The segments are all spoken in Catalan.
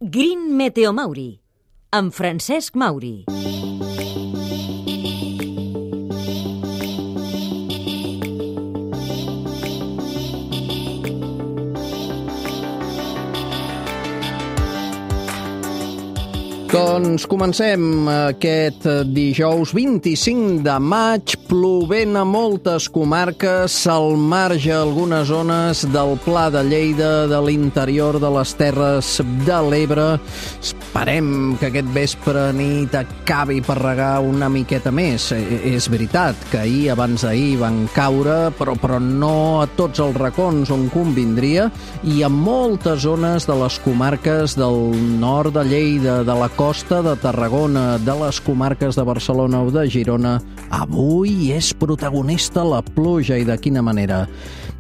Green Meteo Mauri, amb Francesc Mauri. Doncs comencem aquest dijous 25 de maig, plovent a moltes comarques, al marge algunes zones del Pla de Lleida, de l'interior de les Terres de l'Ebre. Esperem que aquest vespre nit acabi per regar una miqueta més. És veritat que ahir, abans d'ahir, van caure, però no a tots els racons on convindria, i a moltes zones de les comarques del nord de Lleida, de la costa de Tarragona, de les comarques de Barcelona o de Girona, avui és protagonista la pluja, i de quina manera.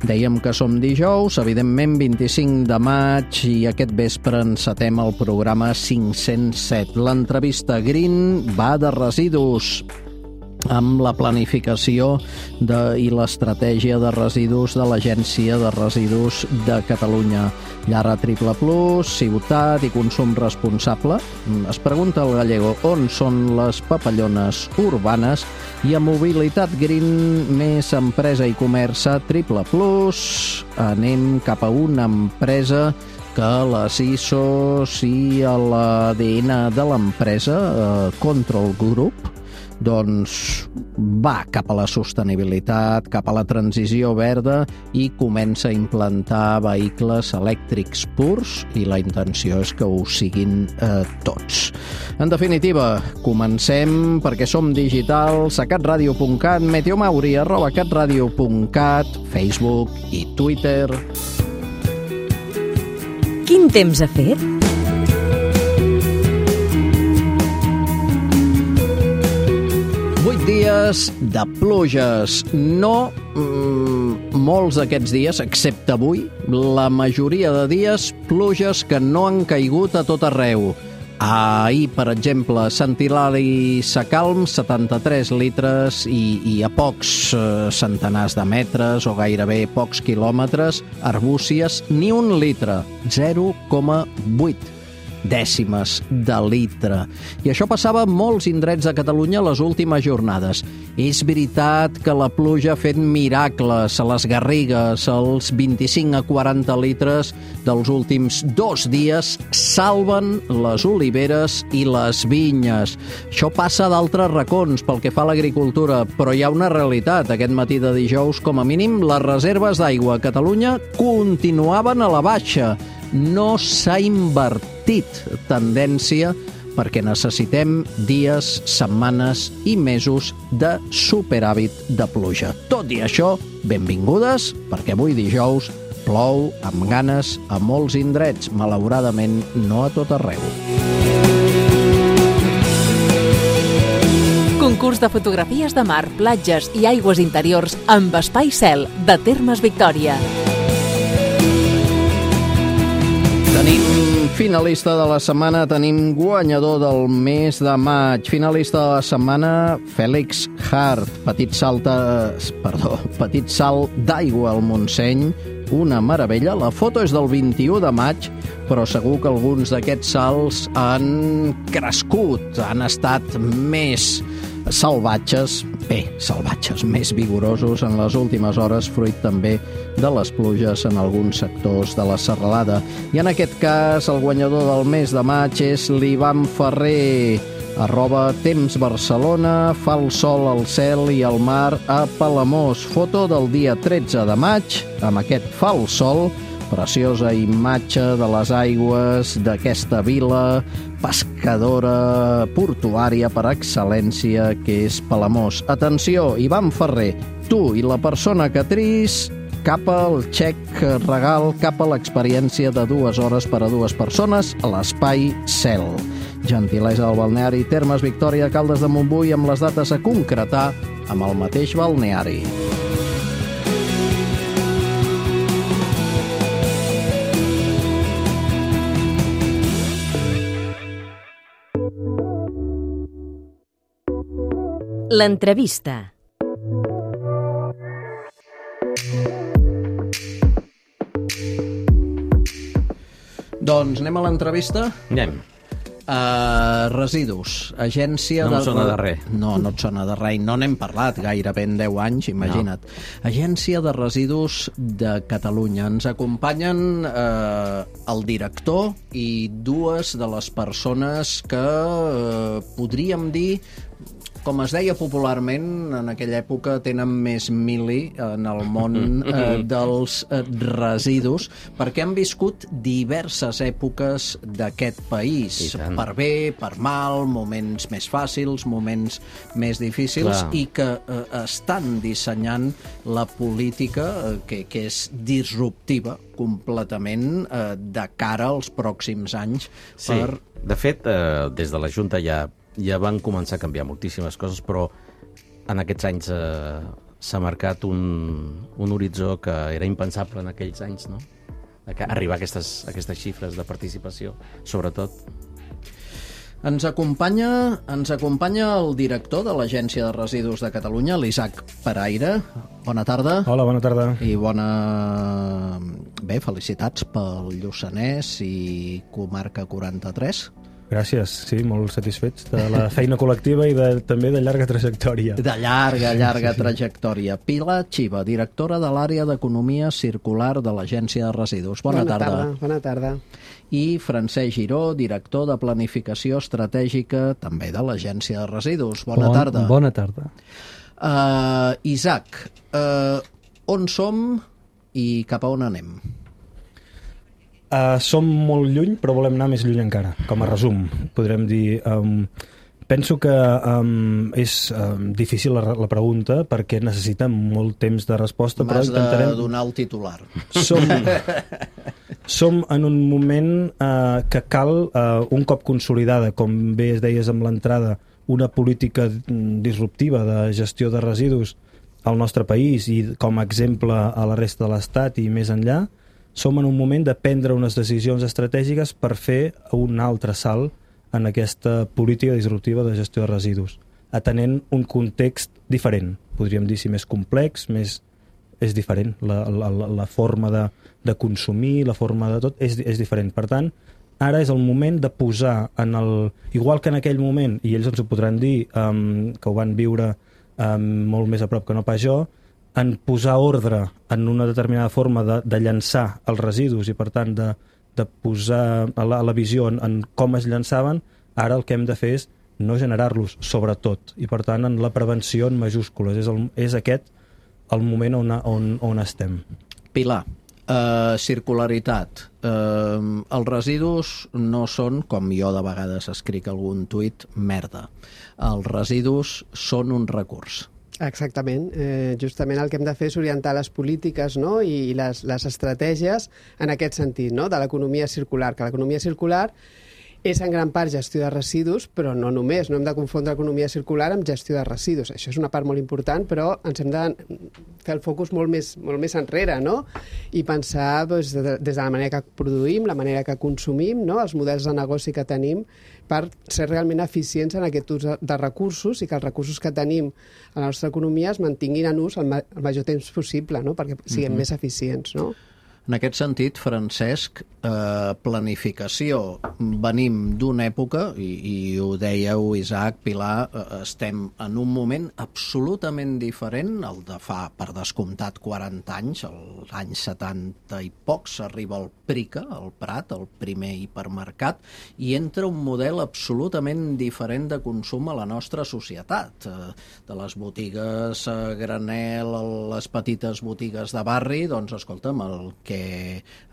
Dèiem que som dijous, evidentment 25 de maig, i aquest vespre encetem el programa 507. L'entrevista Green va de residus, amb la planificació i l'estratègia de residus de l'Agència de Residus de Catalunya. Llar Triple Plus, ciutat i consum responsable. Es pregunta el gallego on són les papallones urbanes, i a Mobilitat Green, més empresa i comerç a Triple Plus, anem cap a una empresa que les ISOs i l'ADN de l'empresa, Control Group, doncs va cap a la sostenibilitat, cap a la transició verda, i comença a implantar vehicles elèctrics purs, i la intenció és que ho siguin tots. En definitiva, comencem perquè som digitals a catradio.cat, meteomauri @catradio.cat, Facebook i Twitter. Quin temps ha fet? Dies de pluges. No molts d'aquests dies, excepte avui, la majoria de dies, pluges que no han caigut a tot arreu. Ahir, per exemple, Sant Hilari Sacalm, 73 litres, i a pocs centenars de metres, o gairebé pocs quilòmetres, Arbúcies, ni un litre, 0,8 dècimes de litre. I això passava a molts indrets de Catalunya les últimes jornades. És veritat que la pluja ha fet miracles a les Garrigues. Els 25 a 40 litres dels últims 2 dies salven les oliveres i les vinyes. Això passa d'altres racons pel que fa a l'agricultura, però hi ha una realitat. Aquest matí de dijous, com a mínim, les reserves d'aigua a Catalunya continuaven a la baixa. No s'ha invertit tendència perquè necessitem dies, setmanes i mesos de superàvit de pluja. Tot i això, benvingudes, perquè avui dijous plou amb ganes a molts indrets, malauradament no a tot arreu. Concurs de fotografies de mar, platges i aigües interiors amb Espai Cel, de Termes Victòria. Tenim finalista de la setmana, tenim guanyador del mes de maig. Finalista de la setmana, Fèlix Hart, petit salt d'aigua al Montseny, una meravella. La foto és del 21 de maig, però segur que alguns d'aquests salts han crescut, han estat més salvatges, més vigorosos en les últimes hores, fruit també de les pluges en alguns sectors de la serralada. I en aquest cas, el guanyador del mes de maig és l'Ivan Ferrer, @TempsBarcelona, fa el sol al cel i al mar a Palamós. Foto del dia 13 de maig, amb aquest fa el sol, preciosa imatge de les aigües d'aquesta vila pescadora portuària per excel·lència que és Palamós. Atenció, Ivan Ferrer, tu i la persona que tris, cap al xec regal, cap a l'experiència de 2 hores per a 2 persones a l'Espai Cel. Gentilesa del balneari Termes Victòria, Caldes de Montbui, amb les dates a concretar amb el mateix balneari. L'entrevista. Doncs anem a l'entrevista. Anem. Residus, agència No em sona de res. No et sona de res. No n'hem parlat gairebé en 10 anys, imagina't. Agència de Residus de Catalunya. Ens acompanyen el director i dues de les persones que podríem dir, com es deia popularment, en aquella època tenen més mili en el món dels residus, perquè han viscut diverses èpoques d'aquest país. Per bé, per mal, moments més fàcils, moments més difícils, i que estan dissenyant la política que és disruptiva completament de cara als pròxims anys. Sí, de fet, des de la Junta ja van començar a canviar moltíssimes coses, però en aquests anys s'ha marcat un horitzó que era impensable en aquells anys, no? Arribar a aquestes xifres de participació, sobretot. Ens acompanya el director de l'Agència de Residus de Catalunya, l'Isaac Peraire. Bona tarda. Hola, bona tarda. I felicitats pel Lluçanès i Comarca 43. Gràcies, sí, molt satisfets de la feina col·lectiva i també de llarga trajectòria. De llarga trajectòria. Pilar Xiva, directora de l'àrea d'Economia Circular de l'Agència de Residus. Bona tarda. Bona tarda. I Francesc Giró, director de Planificació Estratègica, també de l'Agència de Residus. Bona tarda. Bona tarda. Isaac, on som i cap a on anem? Som molt lluny, però volem anar més lluny encara. Com a resum, podrem dir... Penso que és difícil la pregunta perquè necessita molt temps de resposta, però intentarem... M'has de donar el titular. Som en un moment que cal, un cop consolidada, com bé es deies amb l'entrada, una política disruptiva de gestió de residus al nostre país i com a exemple a la resta de l'Estat i més enllà, som en un moment de prendre unes decisions estratègiques per fer un altre salt en aquesta política disruptiva de gestió de residus, atenent un context diferent, podríem dir, si més complex, és diferent, la forma de consumir, la forma de tot és diferent. Per tant, ara és el moment de posar igual que en aquell moment, i ells ens ho podran dir, que ho van viure molt més a prop que no pas jo, en posar ordre en una determinada forma de llançar els residus i, per tant, de posar la visió en com es llançaven, ara el que hem de fer és no generar-los, sobretot, i, per tant, en la prevenció en majúscules. És aquest el moment on estem. Pilar, circularitat. Els residus no són, com jo de vegades escric algun tuit, merda. Els residus són un recurs. Exactament. Justament el que hem de fer és orientar les polítiques, no? I les estratègies en aquest sentit, no? De l'economia circular, que l'economia circular és en gran part gestió de residus, però no només, no hem de confondre economia circular amb gestió de residus. Això és una part molt important, però ens hem de fer el focus molt més enrere, no? I pensar des de la manera que produïm, la manera que consumim, no? Els models de negoci que tenim per ser realment eficients en aquest ús de recursos i que els recursos que tenim a la nostra economia es mantinguin en ús el major temps possible, no? Perquè siguem més eficients, no? En aquest sentit, Francesc, planificació. Venim d'una època, i ho dèieu, Isaac, Pilar, estem en un moment absolutament diferent, el de fa, per descomptat, 40 anys, als anys 70 i pocs, s'arriba al Prica, al Prat, el primer hipermercat, i entra un model absolutament diferent de consum a la nostra societat. De les botigues a granel, a les petites botigues de barri, doncs, escolta'm, el que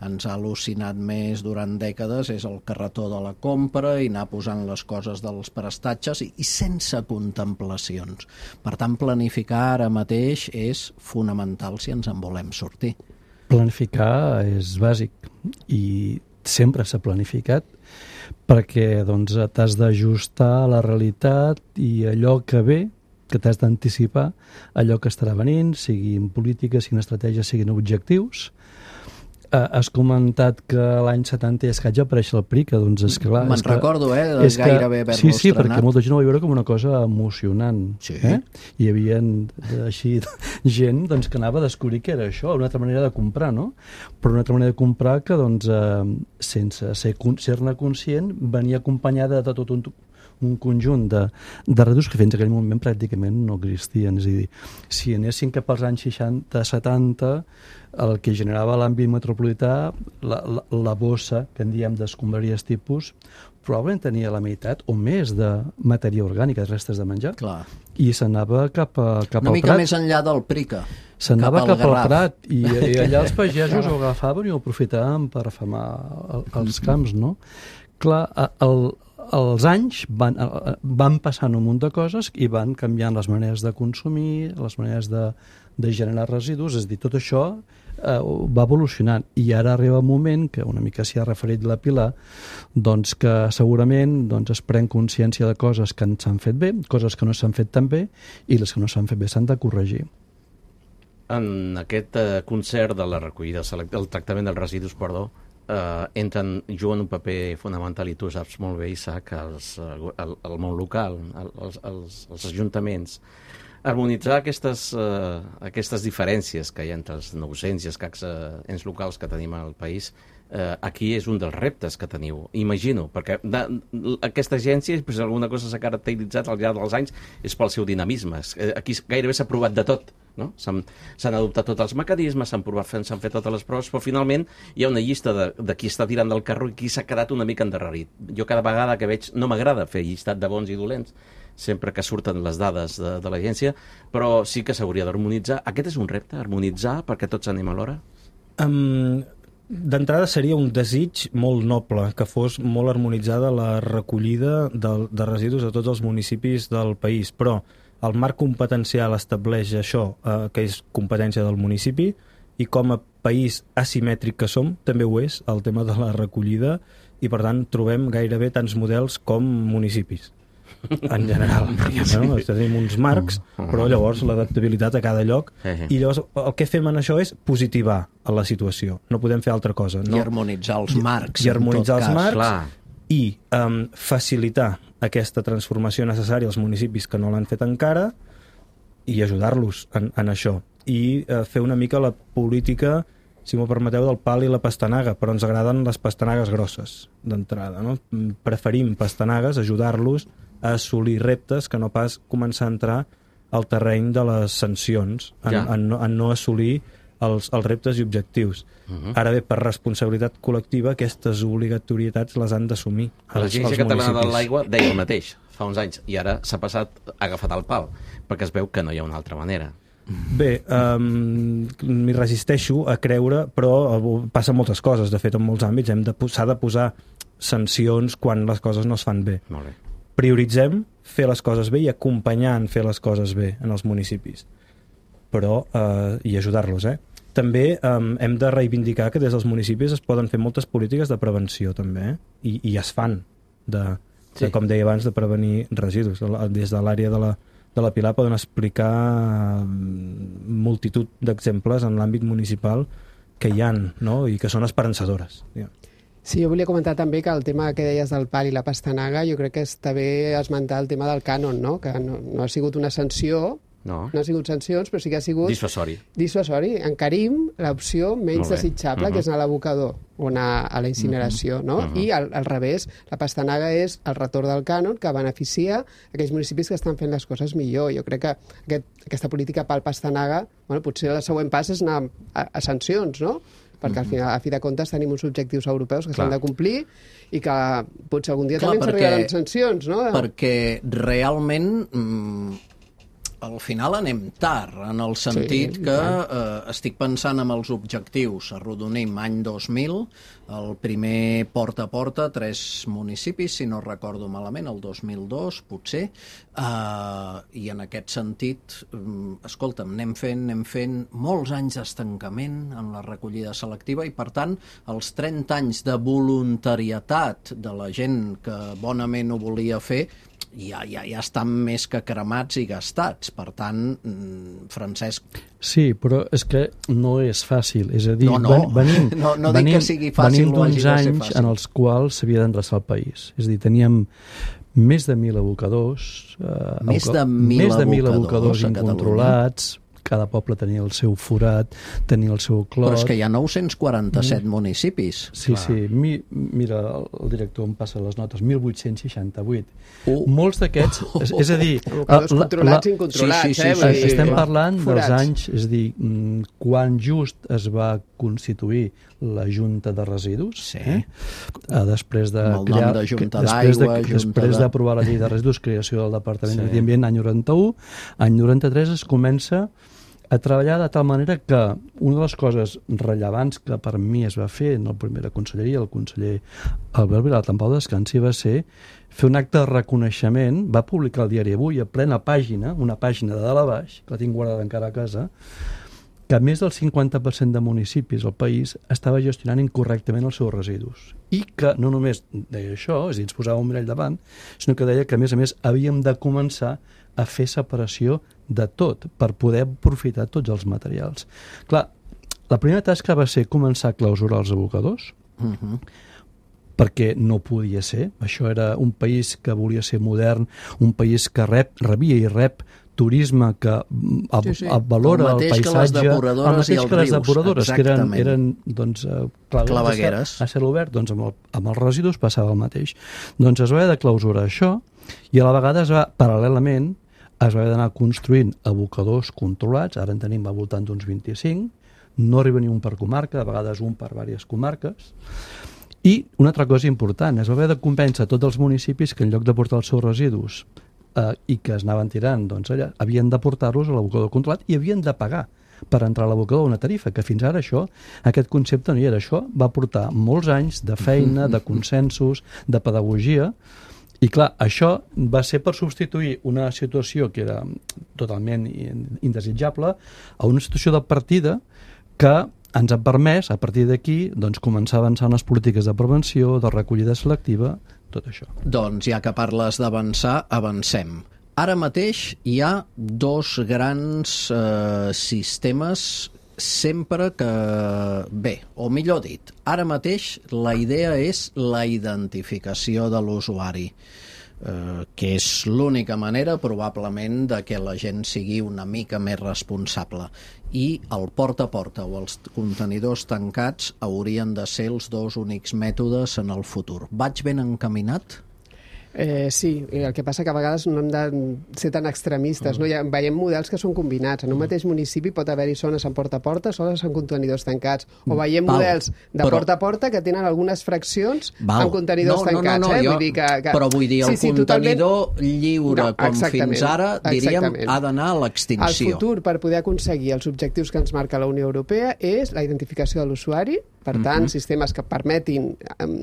ens ha al·lucinat més durant dècades és el carretó de la compra i anar posant les coses dels prestatges i sense contemplacions. Per tant, planificar ara mateix és fonamental si ens en volem sortir. Planificar és bàsic i sempre s'ha planificat perquè t'has d'ajustar a la realitat i allò que ve, que t'has d'anticipar allò que estarà venint, siguin polítiques, siguin estratègies, siguin objectius. Has comentat que l'any 70 i escaig va aparèixer el Prica, doncs és clar... Me'n recordo, gairebé haver-lo estrenat. Sí, perquè estrenat. molta gent ho va veure com una cosa emocionant. Sí. Hi havia així gent doncs, que anava a descobrir què era això, una altra manera de comprar, no? Però una altra manera de comprar que, doncs, sense ser-ne conscient, venia acompanyada de tot un conjunt de residus que fins a aquell moment pràcticament no existien. És a dir, si anéssim cap als anys 60-70, el que generava l'àmbit metropolità, la bossa, que en diem d'escombraries tipus, probablement tenia la meitat o més de matèria orgànica, restes de menjar. Clar. I s'anava cap al Prat. Una mica més enllà del Prica. S'anava cap al Garraf. Prat i allà els pagesos ho agafaven i ho aprofitaven per afamar els camps, no? Clar, els anys van passant un munt de coses i van canviant les maneres de consumir, les maneres de generar residus, és a dir, tot això va evolucionant i ara arriba un moment que una mica s'hi ha referit la Pilar, doncs que segurament es pren consciència de coses que s'han fet bé, coses que no s'han fet tan bé i les que no s'han fet bé s'han de corregir. En aquest concert de la recollida, el tractament dels residus, juguen un paper fonamental, i tu saps molt bé, Isaac, el món local, els ajuntaments. Harmonitzar aquestes diferències que hi ha entre els 900 i escacs ens locals que tenim al país, aquí és un dels reptes que teniu, imagino, perquè aquesta agència, si alguna cosa s'ha caracteritzat al llarg dels anys, és pel seu dinamisme. Aquí gairebé s'ha provat de tot, no? S'han adoptat tots els mecanismes, s'han fet totes les proves, però finalment hi ha una llista de qui està tirant del carro i qui s'ha quedat una mica endarrerit. Jo cada vegada que veig, no m'agrada fer llistat de bons i dolents, sempre que surten les dades de l'agència, però sí que s'hauria d'harmonitzar. Aquest és un repte, harmonitzar, perquè tots anem alhora? D'entrada seria un desig molt noble que fos molt harmonitzada la recollida de residus a tots els municipis del país, però el marc competencial estableix això, que és competència del municipi, i com a país asimètric que som, també ho és el tema de la recollida, i per tant trobem gairebé tants models com municipis en general, no? Tenim uns marcs, però llavors l'adaptabilitat a cada lloc, i llavors el que fem en això és positivar a la situació, no podem fer altra cosa, no? I harmonitzar els marcs, i harmonitzar els marcs, clar. I facilitar aquesta transformació necessària als municipis que no l'han fet encara i ajudar-los en això, i fer una mica la política, si m'ho permeteu, del pal i la pastanaga, però ens agraden les pastanagues grosses d'entrada, no? Preferim pastanagues, ajudar-los a assolir reptes que no pas començar a entrar al terreny de les sancions, en no assolir els reptes i objectius. Ara bé, per responsabilitat col·lectiva, aquestes obligatorietats les han d'assumir els municipis. L'Agència Catalana de l'Aigua deia el mateix fa uns anys, i ara s'ha agafat el pal, perquè es veu que no hi ha una altra manera. Bé, m'hi resisteixo a creure, però passen moltes coses. De fet, en molts àmbits s'ha de posar sancions quan les coses no es fan bé. Molt bé. Prioritzem fer les coses bé i acompanyar en fer les coses bé en els municipis, però i ajudar-los, També hem de reivindicar que des dels municipis es poden fer moltes polítiques de prevenció, també, i es fan, com deia abans, de prevenir residus. Des de l'àrea de la Pilar poden explicar multitud d'exemples en l'àmbit municipal que hi ha, no? I que són esperançadores. Sí, jo volia comentar també que el tema que deies del pal i la pastanaga, jo crec que està bé esmentar el tema del cànon, no? Que no ha sigut una sanció, no ha sigut sancions, però sí que ha sigut... Dissuasori. Encarim l'opció menys desitjable, que és anar a l'abocador o anar a la incineració, no? I al revés, la pastanaga és el retorn del cànon que beneficia aquells municipis que estan fent les coses millor. Jo crec que aquesta política pal-pastanaga, potser el següent pas és anar a sancions, no? Perquè al final, a fi de comptes, tenim uns objectius europeus que s'han de complir i que potser algun dia també ens arribaran sancions, no? Perquè realment al final anem tard, en el sentit que estic pensant en els objectius. Arrodonim any 2000, el primer porta a porta, 3 municipis, si no recordo malament, el 2002, potser, i en aquest sentit, escolta'm, anem fent molts anys d'estancament en la recollida selectiva i, per tant, els 30 anys de voluntarietat de la gent que bonament ho volia fer ja estan més que cremats i gastats. Per tant, Francesc... Sí, però és que no és fàcil. És a dir, venim dic que sigui fàcil, venim d'uns anys en els quals s'havia d'endreçar el país. És a dir, teníem més de 1.000 abocadors, més de 1.000 abocadors incontrolats. Cada poble tenia el seu forat, tenia el seu clot. Però és que hi ha 947 municipis. Sí, clar. Sí. Mira, el director em passa les notes, 1.868. Molts d'aquests, és a dir... Abocadors controlats i incontrolats, estem parlant dels anys, és a dir, quan just es va constituir la Junta de Residus, després de crear... Després d'aprovar la llei de residus, creació del Departament de Medi Ambient, any 91, any 93 es comença a treballar de tal manera que una de les coses rellevants que per mi es va fer en la primera conselleria, el conseller Albert Vilalta en pau descansi, va ser fer un acte de reconeixement, va publicar el diari Avui a plena pàgina, una pàgina de dalt a baix, que la tinc guardada encara a casa, que més del 50% de municipis al país estava gestionant incorrectament els seus residus. I que no només deia això, és a dir, ens posava un mirall davant, sinó que deia que, a més, havíem de començar a fer separació de tot per poder aprofitar tots els materials. Clar, la primera tasca va ser començar a clausurar els abocadors, perquè no podia ser. Això era un país que volia ser modern, un país que rebia i rep turisme que valora el paisatge, el mateix que les depuradores, que eren doncs, clavegueres. A cel obert, doncs amb els residus passava el mateix. Doncs es va haver de clausurar això i a la vegada paral·lelament es va haver d'anar construint abocadors controlats, ara en tenim al voltant d'uns 25, no arriba ni un per comarca, de vegades un per diverses comarques. I una altra cosa important, es va haver de convèncer tots els municipis que en lloc de portar els seus residus i que es anaven tirant doncs, allà, havien de portar-los a l'abocador controlat i havien de pagar per entrar a l'abocador una tarifa, que fins ara aquest concepte no hi era. Això va portar molts anys de feina, de consensos, de pedagogia, i clar, això va ser per substituir una situació que era totalment indesitjable a una situació de partida que ens ha permès, a partir d'aquí, doncs, començar a avançar en les polítiques de prevenció, de recollida selectiva, tot això. Doncs ja que parles d'avançar, avancem. Ara mateix hi ha dos grans sistemes sempre que... Bé, o millor dit, ara mateix la idea és la identificació de l'usuari, que és l'única manera probablement de que la gent sigui una mica més responsable, i el porta a porta o els contenidors tancats haurien de ser els dos únics mètodes en el futur. Vaig ben encaminat? Sí, el que passa que a vegades no hem de ser tan extremistes, no? Veiem models que són combinats. En un mateix municipi pot haver-hi zones en porta a porta, zones en contenidors tancats, o veiem models de porta a porta que tenen algunes fraccions amb contenidors tancats. Però vull dir, el contenidor lliure, com fins ara, diríem, ha d'anar a l'extinció. El futur, per poder aconseguir els objectius que ens marca la Unió Europea, és la identificació de l'usuari, per tant, sistemes que permetin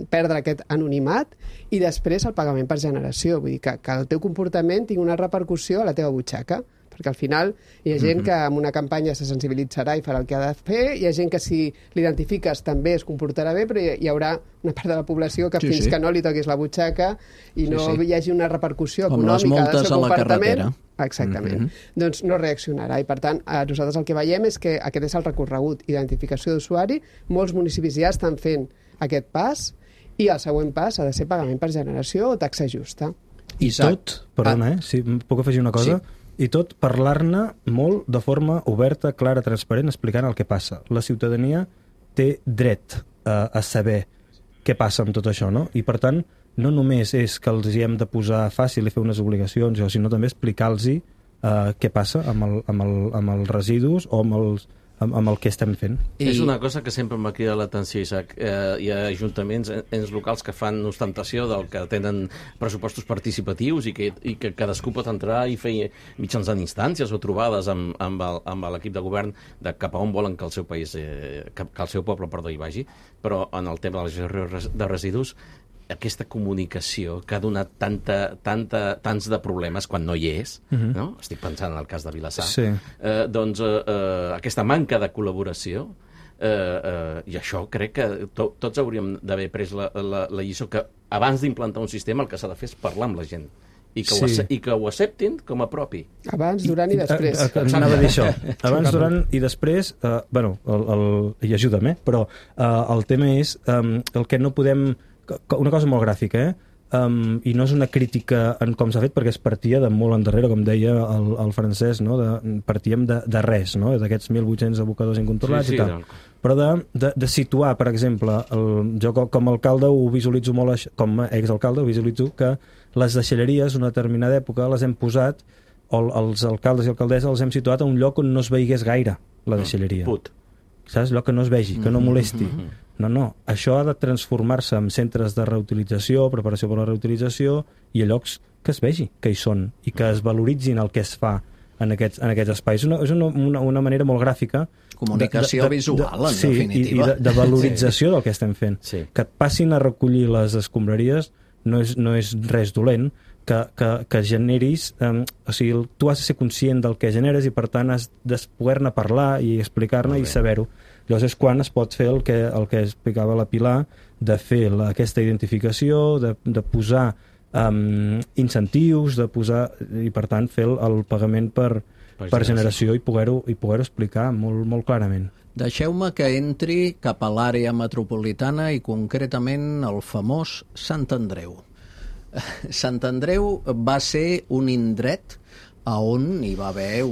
perdre aquest anonimat, i després el pagament per generació. Vull dir que el teu comportament tingui una repercussió a la teva butxaca, perquè al final hi ha gent que amb una campanya se sensibilitzarà i farà el que ha de fer, hi ha gent que si l'identifiques també es comportarà bé, però hi haurà una part de la població que fins que no li toquis la butxaca i no hi hagi una repercussió econòmica del seu comportament, exactament, doncs no reaccionarà. I per tant, nosaltres el que veiem és que aquest és el recorregut, identificació d'usuari. Molts municipis ja estan fent aquest pas, i el següent pas ha de ser pagament per generació o taxa justa. I tot, perdona, si puc afegir una cosa? Sí. I tot parlar-ne molt de forma oberta, clara, transparent, explicant el que passa. La ciutadania té dret a saber què passa amb tot això, no? I per tant, no només és que els hi hem de posar fàcil i fer unes obligacions, sinó també explicar-los què passa amb els residus o amb el que estem fent. És una cosa que sempre m'ha cridat l'atenció, Isaac. Hi ha ajuntaments, ens locals que fan ostentació del que tenen pressupostos participatius i que cadascú pot entrar i fer mitjançant instàncies o trobades amb l'equip de govern de cap a on volen que el seu país, que el seu poble, hi vagi, però en el tema de la gestió de residus aquesta comunicació que ha donat tants de problemes quan no hi és, no? Estic pensant en el cas de Vilassar, doncs aquesta manca de col·laboració, i això crec que tots hauríem d'haver pres la lliçó, que abans d'implantar un sistema el que s'ha de fer és parlar amb la gent i que ho acceptin com a propi. Abans, durant i després. Anava a dir això. Abans, durant i després, i ajuda'm, però el tema és el que no podem... Una cosa molt gràfica, i no és una crítica en com s'ha fet, perquè es partia de molt endarrere, com deia el Francesc, no? Partíem de res, no? D'aquests 1.800 abocadors incontrolats i tal. Però de situar, per exemple, jo com a alcalde ho visualitzo molt, com a exalcalde ho visualitzo, que les deixalleries, una determinada època, les hem posat, o els alcaldes i alcaldesses els hem situat a un lloc on no es veigués gaire la deixalleria. Saps? Lloc que no es vegi, que no molesti. No, això ha de transformar-se en centres de reutilització, preparació per la reutilització, i a llocs que es vegi que hi són i que es valoritzin el que es fa en aquests espais. És una manera molt gràfica. Comunicació visual, en definitiva. I de valorització del que estem fent. Que et passin a recollir les escombraries no és res dolent, que generis... O sigui, tu has de ser conscient del que generes i, per tant, has de poder-ne parlar i explicar-ne i saber-ho. Llavors és quan es pot fer el que explicava la Pilar, de fer aquesta identificació, de posar incentius, i per tant fer el pagament per generació i poder-ho explicar molt, molt clarament. Deixeu-me que entri cap a l'àrea metropolitana i concretament el famós Sant Andreu. Sant Andreu va ser un indret on hi va haver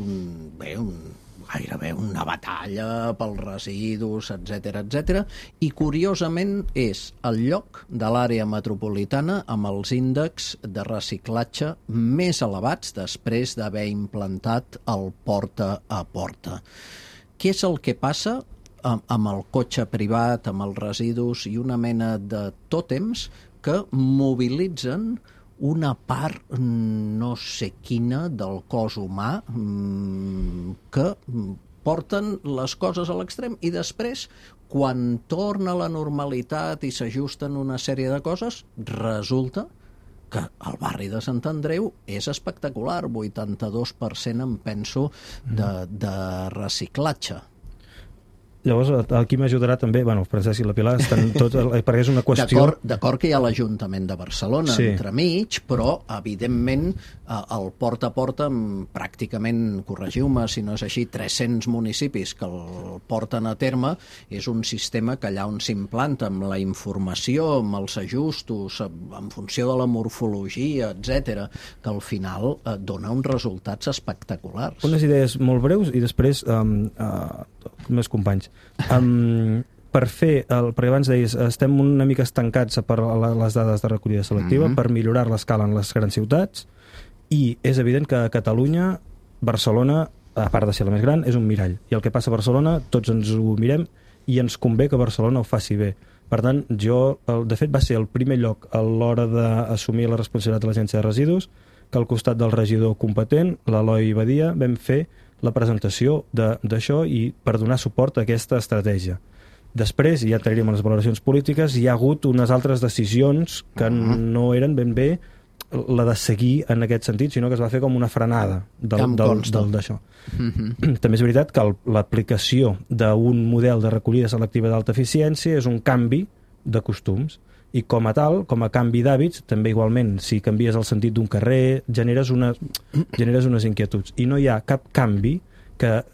gairebé una batalla pels residus, etc. I curiosament és el lloc de l'àrea metropolitana amb els índexs de reciclatge més elevats després d'haver implantat el porta a porta. Què és el que passa amb el cotxe privat, amb els residus i una mena de tòtems que mobilitzen una part no sé quina del cos humà que porten les coses a l'extrem i després, quan torna la normalitat i s'ajusten una sèrie de coses, resulta que el barri de Sant Andreu és espectacular, 82% em penso de reciclatge. Llavors, aquí m'ajudarà també, el Francesc i la Pilar estan tots, perquè és una qüestió... D'acord que hi ha l'Ajuntament de Barcelona entremig, però, evidentment, el porta a porta, pràcticament, corregiu-me si no és així, 300 municipis que el porten a terme, és un sistema que allà on s'implanta, amb la informació, amb els ajustos, en funció de la morfologia, etc, que al final dona uns resultats espectaculars. Unes idees molt breus i després més companys. Per fer, perquè abans deies, estem una mica estancats per les dades de recollida selectiva, per millorar l'escala en les grans ciutats, i és evident que a Catalunya, Barcelona, a part de ser la més gran, és un mirall. I el que passa a Barcelona, tots ens ho mirem, i ens convé que Barcelona ho faci bé. Per tant, de fet, va ser el primer lloc a l'hora d'assumir la responsabilitat de l'Agència de Residus, que al costat del regidor competent, l'Eloi Badia, vam fer la presentació d'això i per donar suport a aquesta estratègia. Després, ja entraríem a les valoracions polítiques, hi ha hagut unes altres decisions que no eren ben bé la de seguir en aquest sentit, sinó que es va fer com una frenada d'això. També és veritat que l'aplicació d'un model de recollida selectiva d'alta eficiència és un canvi de costums, i com a tal, com a canvi d'hàbits, també igualment, si canvies el sentit d'un carrer, generes unes inquietuds. I no hi ha cap canvi que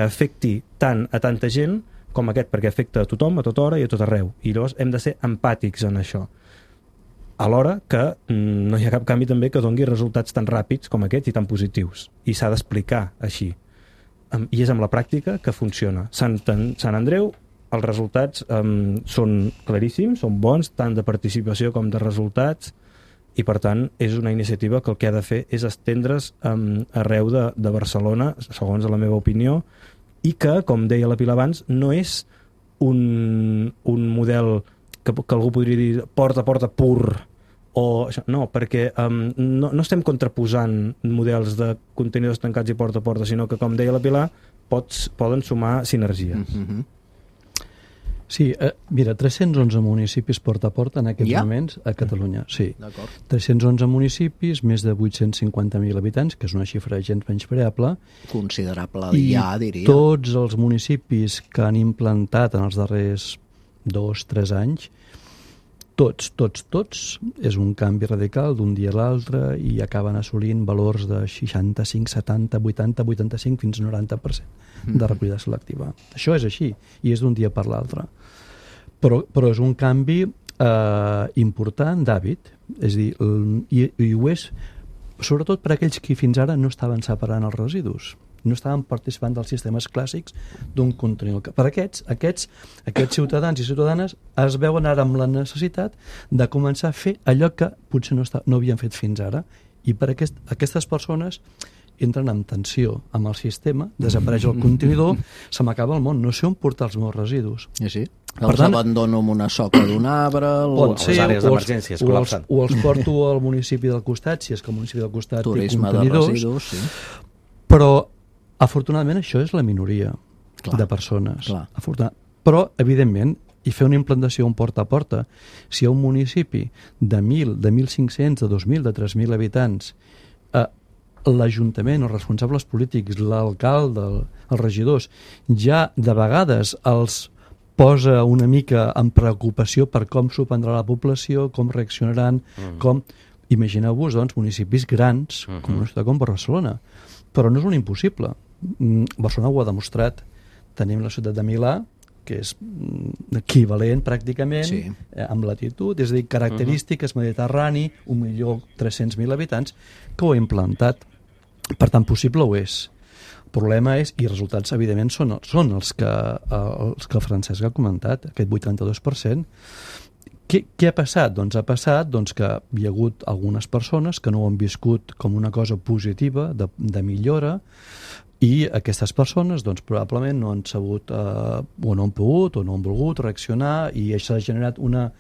afecti tant a tanta gent com aquest, perquè afecta a tothom, a tota hora i a tot arreu. I llavors hem de ser empàtics en això. Alhora que no hi ha cap canvi també que doni resultats tan ràpids com aquest i tan positius. I s'ha d'explicar així. I és amb la pràctica que funciona. Sant Andreu, els resultats són claríssims, són bons, tant de participació com de resultats, i per tant és una iniciativa que el que ha de fer és estendre's arreu de Barcelona, segons la meva opinió, i que, com deia la Pilar abans, no és un model que algú podria dir porta a porta pur, no, perquè no estem contraposant models de contenidors tancats i porta a porta, sinó que, com deia la Pilar, poden sumar sinergies. Sí, mira, 311 municipis porta a porta en aquests moments a Catalunya. Sí, 311 municipis, més de 850.000 habitants, que és una xifra gens menyspreable. Considerable, diria. I tots els municipis que han implantat en els darrers 2-3 anys tots, és un canvi radical d'un dia a l'altre i acaben assolint valors de 65, 70, 80, 85 fins a 90% de recollida selectiva. Això és així, i és d'un dia per l'altre. Però és un canvi important d'hàbit, és a dir, i ho és sobretot per a aquells que fins ara no estaven separant els residus, no estaven participant dels sistemes clàssics d'un contenidor. Per aquests ciutadans i ciutadanes es veuen ara amb la necessitat de començar a fer allò que potser no havien fet fins ara, i per aquestes persones entren en tensió amb el sistema, desapareix el contenidor, se m'acaba el món, no sé on portar els meus residus. Sí. Els abandono amb una soca d'un arbre, les àrees d'emergència es col·lapsen. O els porto al municipi del costat, si és que el municipi del costat turisme té contenidors. De residus, sí. Però, afortunadament, això és la minoria de persones. Però, evidentment, i fer una implantació un porta a porta, si hi ha un municipi de 1.000, de 1.500, de 2.000, de 3.000 habitants, l'Ajuntament, els responsables polítics, l'alcalde, els regidors, ja de vegades els posa una mica en preocupació per com s'ho prendrà la població, com reaccionaran, com... Imagineu-vos, doncs, municipis grans, com una ciutat com Barcelona. Però no és un impossible. Barcelona ho ha demostrat. Tenim la ciutat de Milà, que és equivalent pràcticament, amb latitud, és a dir, característiques mediterrani, 1.300.000 habitants, que ho ha implantat. Per tant, possible ho és. El problema és, i els resultats evidentment són els que el Francesc ha comentat, aquest 82%. Què ha passat? Doncs ha passat que hi ha hagut algunes persones que no ho han viscut com una cosa positiva, de millora, i aquestes persones probablement no han sabut o no han pogut o no han volgut reaccionar, i això ha generat una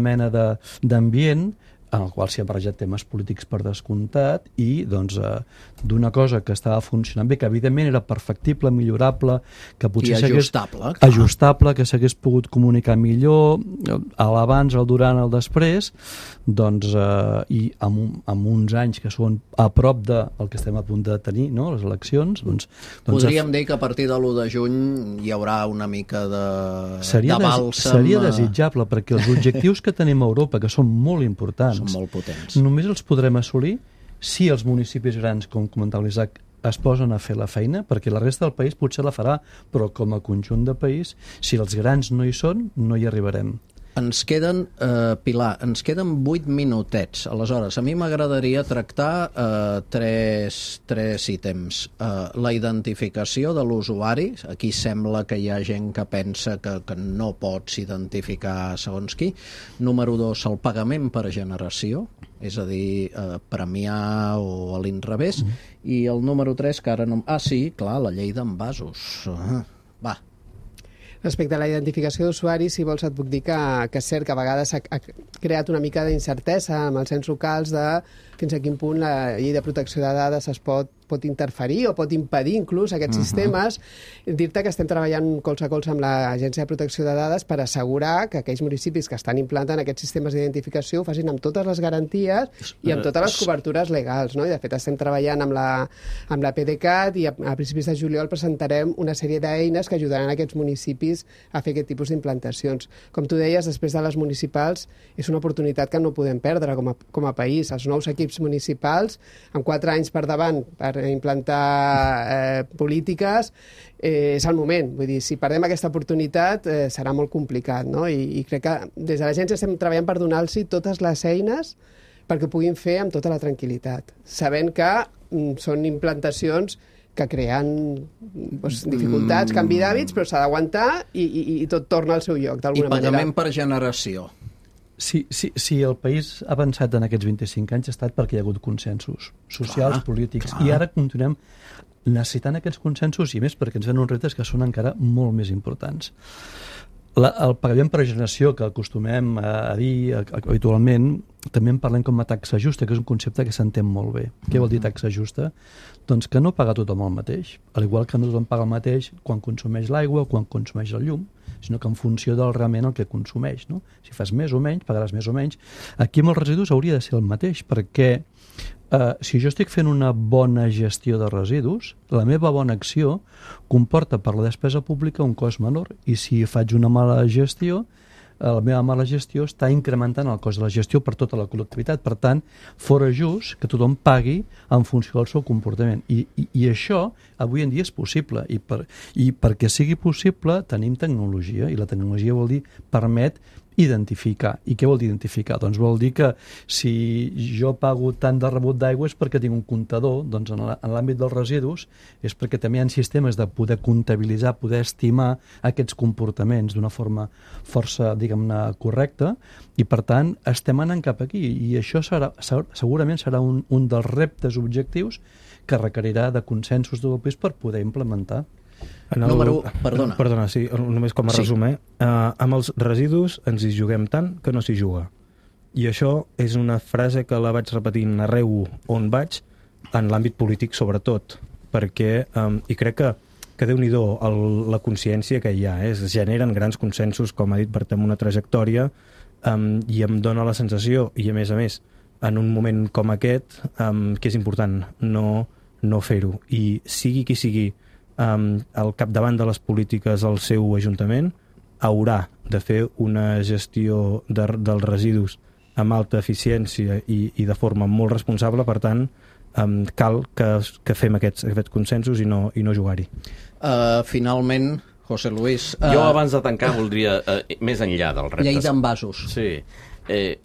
mena d'ambient en el qual s'hi ha barrejat temes polítics per descomptat, i d'una cosa que estava funcionant bé, que evidentment era perfectible, millorable, que potser ajustable, que s'hagués pogut comunicar millor a l'abans, al durant, al després, i amb uns anys que són a prop del que estem a punt de tenir, no? Les eleccions, podríem dir que a partir de l'1 de juny hi haurà una mica de bàlsam. Seria desitjable, perquè els objectius que tenim a Europa, que són molt importants, són molt potents, només els podrem assolir si els municipis grans, com comentava l'Isaac, es posen a fer la feina, perquè la resta del país potser la farà, però com a conjunt de país, si els grans no hi són, no hi arribarem. Ens queden, Pilar, 8 minutets. Aleshores, a mi m'agradaria tractar tres ítems. La identificació de l'usuari. Aquí sembla que hi ha gent que pensa que no pots identificar segons qui. Número 2, el pagament per generació, és a dir, premiar o a l'inrevés. I el número 3, que ara no... sí, clar, la llei d'envasos. Va. Respecte a la identificació d'usuaris, si vols et puc dir que és cert que a vegades ha creat una mica d'incertesa amb els ens locals de fins a quin punt la llei de protecció de dades es pot interferir o pot impedir inclús aquests sistemes. Dir-te que estem treballant colze a colze amb l'Agència de Protecció de Dades per assegurar que aquells municipis que estan implantant aquests sistemes d'identificació ho facin amb totes les garanties i amb totes les cobertures legals, no? I de fet estem treballant amb la PDeCAT, i a principis de juliol presentarem una sèrie d'eines que ajudaran a aquests municipis a fer aquest tipus d'implantacions. Com tu deies, després de les municipals és una oportunitat que no podem perdre com a país. Els nous equips municipals, amb 4 anys per davant per implantar polítiques, és el moment. Vull dir, si perdem aquesta oportunitat serà molt complicat, no? I crec que des de l'agència estem treballant per donar-los totes les eines perquè ho puguin fer amb tota la tranquil·litat, sabent que són implantacions que creen dificultats, canvi d'hàbits, però s'ha d'aguantar i tot torna al seu lloc, d'alguna manera. I pagament per generació. Si el país ha avançat en aquests 25 anys ha estat perquè hi ha hagut consensos socials, polítics, i ara continuem necessitant aquests consensos, i més perquè ens venen uns reptes que són encara molt més importants. El pagament per generació, que acostumem a dir habitualment, també en parlem com a taxa justa, que és un concepte que s'entén molt bé. Què vol dir taxa justa? Doncs que no paga tothom el mateix, al igual que no tothom paga el mateix quan consumeix l'aigua o quan consumeix el llum, sinó que en funció del realment el que consumeix, no? Si fas més o menys, pagaràs més o menys. Aquí amb els residus hauria de ser el mateix, perquè si jo estic fent una bona gestió de residus, la meva bona acció comporta per la despesa pública un cost menor, i si faig una mala gestió la meva mala gestió està incrementant el cost de la gestió per tota la col·lectivitat. Per tant, fora just que tothom pagui en funció del seu comportament. I això avui en dia és possible. I perquè sigui possible tenim tecnologia, i la tecnologia vol dir permet identificar. I què vol dir identificar? Doncs vol dir que si jo pago tant de rebut d'aigua és perquè tinc un comptador, doncs en l'àmbit dels residus és perquè també hi ha sistemes de poder comptabilitzar, poder estimar aquests comportaments d'una forma força, diguem-ne, correcta, i per tant estem anant cap aquí, i això segurament serà un dels reptes objectius que requerirà de consensos del país per poder implementar. Perdona, sí, només com a resum, amb els residus ens hi juguem tant que no s'hi juga. I això és una frase que la vaig repetint arreu on vaig, en l'àmbit polític sobretot, perquè, i crec que Déu-n'hi-do la consciència que hi ha, es generen grans consensos, com ha dit Bert, amb una trajectòria, i em dóna la sensació, i a més, en un moment com aquest, que és important no fer-ho. I sigui qui sigui al capdavant de les polítiques al seu ajuntament, haurà de fer una gestió dels residus amb alta eficiència i de forma molt responsable. Per tant, cal que fem aquests consensos i no jugar-hi. Finalment, José Luis... Jo abans de tancar voldria, més enllà dels reptes... Llei d'envasos. Sí,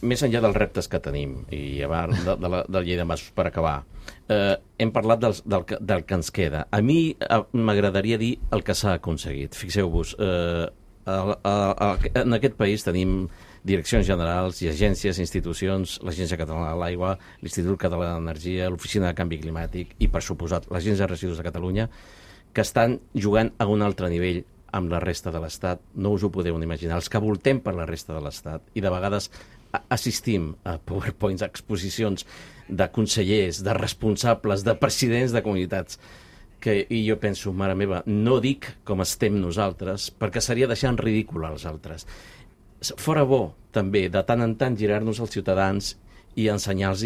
més enllà dels reptes que tenim, i abans de la llei d'envasos per acabar, hem parlat del que ens queda. A mi m'agradaria dir el que s'ha aconseguit. Fixeu-vos, en aquest país tenim direccions generals i agències, institucions, l'Agència Catalana de l'Aigua, l'Institut Català d'Energia, l'Oficina de Canvi Climàtic i, per suposat, l'Agència de Residus de Catalunya, que estan jugant a un altre nivell amb la resta de l'Estat. No us ho podeu imaginar. Els que voltem per la resta de l'Estat, i de vegades assistim a PowerPoints, a exposicions de consellers, de responsables, de presidents de comunitats, i jo penso, mare meva, no dic com estem nosaltres, perquè seria deixar en ridícul als altres. Fora bo, també, de tant en tant girar-nos als ciutadans i ensenyar-los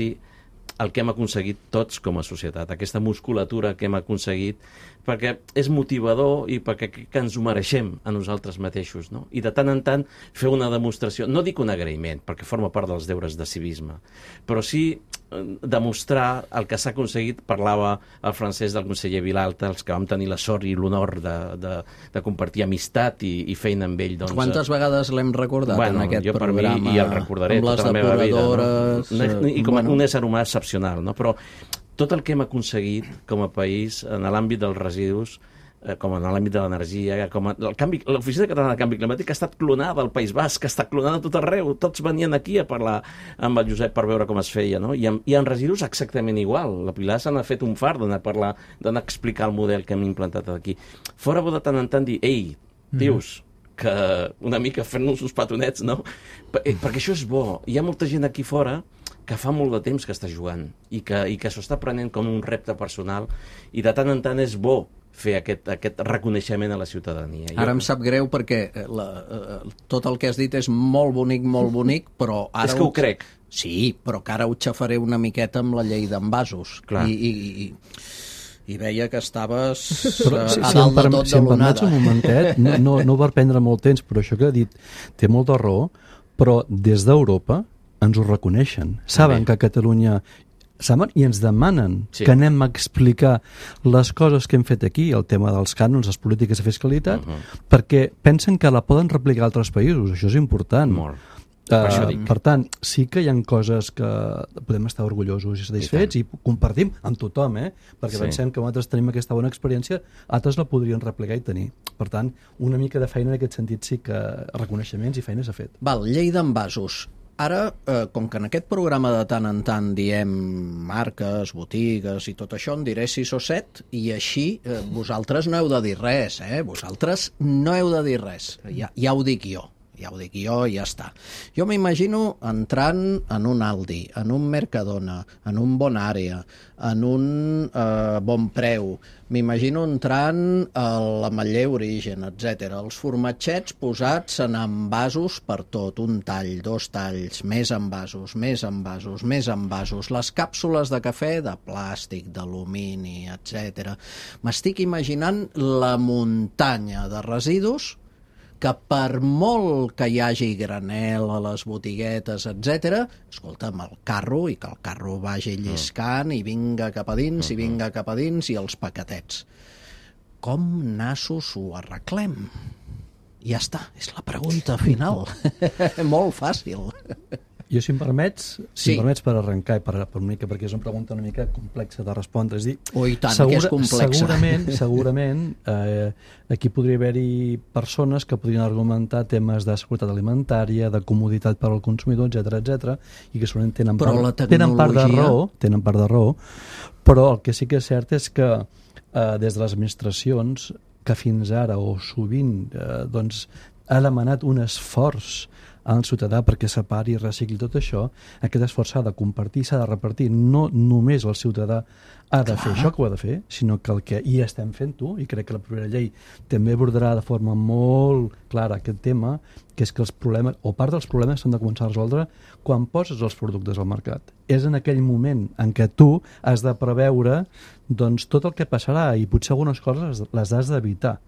el que hem aconseguit tots com a societat, aquesta musculatura que hem aconseguit, perquè és motivador i perquè que ens ho mereixem a nosaltres mateixos, no? I de tant en tant fer una demostració, no dic un agraïment, perquè forma part dels deures de civisme, però sí demostrar el que s'ha aconseguit. Parlava el francès del conseller Vilalta, els que vam tenir la sort i l'honor de compartir amistat i feina amb ell. Doncs, quantes vegades l'hem recordat en aquest programa? Per mi, i el recordaré tota la meva vida. No? I com un ésser humà excepcional, no? Però tot el que hem aconseguit com a país en l'àmbit dels residus, com en l'àmbit de l'energia, l'Oficina Catalana de Canvi Climàtic ha estat clonada al País Basc, ha estat clonada a tot arreu, tots venien aquí a parlar amb el Josep per veure com es feia, no? I en residus exactament igual. La Pilar se n'ha fet un fart d'anar a parlar, d'anar a explicar el model que hem implantat aquí. Fora bo de tant en tant dir, ei, tios, que una mica fent-nos uns petonets, no? Perquè això és bo. Hi ha molta gent aquí fora que fa molt de temps que està jugant i que s'ho està prenent com un repte personal, i de tant en tant és bo fer aquest reconeixement a la ciutadania. Ara em sap greu perquè tot el que has dit és molt bonic, però ara... És que ho crec. Sí, però que ara ho xafaré una miqueta amb la llei d'envasos. I veia que estaves a dalt de tot de l'onada. Si em permets un momentet, no va prendre molt temps, però això que ha dit té molta raó, però des d'Europa ens ho reconeixen. Saben que a Catalunya i ens demanen que anem a explicar les coses que hem fet aquí, el tema dels cànons, les polítiques de fiscalitat, perquè pensen que la poden replicar a altres països. Això és important. Molt. Per tant, sí que hi ha coses que podem estar orgullosos i satisfets i compartim amb tothom, perquè pensem que nosaltres tenim aquesta bona experiència, altres la podrien replicar i tenir. Per tant, una mica de feina en aquest sentit sí que reconeixements i feines s'ha fet. Val, llei d'envasos. Ara, com que en aquest programa de tant en tant diem marques, botigues i tot això, en diré 6 o 7, i així vosaltres no heu de dir res, vosaltres no heu de dir res, ja ho dic jo. Ja ho dic jo i ja està. Jo m'imagino entrant en un Aldi, en un Mercadona, en un Bon Àrea, en un Bon Preu, m'imagino entrant a l'Ametller Origen, etc. Els formatgets posats en envasos per tot, un tall, 2 talls, més envasos, més envasos, més envasos, les càpsules de cafè de plàstic, d'alumini, etc. M'estic imaginant la muntanya de residus que per molt que hi hagi granel a les botiguetes, etc, escolta, amb el carro, i que el carro vagi lliscant i vinga cap a dins, i vinga cap a dins, i els paquetets. Com nassos ho arreglem? Ja està, és la pregunta final. Molt fàcil. Jo, si em permets per arrencar, per una mica, perquè és una pregunta una mica complexa de respondre, és dir, i tant, que és complexa. Segurament aquí podria haver-hi persones que podrien argumentar temes de seguretat alimentària, de comoditat per al consumidor, etc, i que segurament tenen part de raó, però el que sí que és cert és que des de les administracions, que fins ara o sovint ha demanat un esforç al ciutadà perquè separi i recicli tot això, aquest esforç s'ha de compartir, s'ha de repartir. No només el ciutadà ha de fer això que ho ha de fer, sinó que el que hi estem fent-ho, i crec que la propera llei també abordarà de forma molt clara aquest tema, que és que els problemes, o part dels problemes, s'han de començar a resoldre quan poses els productes al mercat. És en aquell moment en què tu has de preveure tot el que passarà, i potser algunes coses les has d'evitar.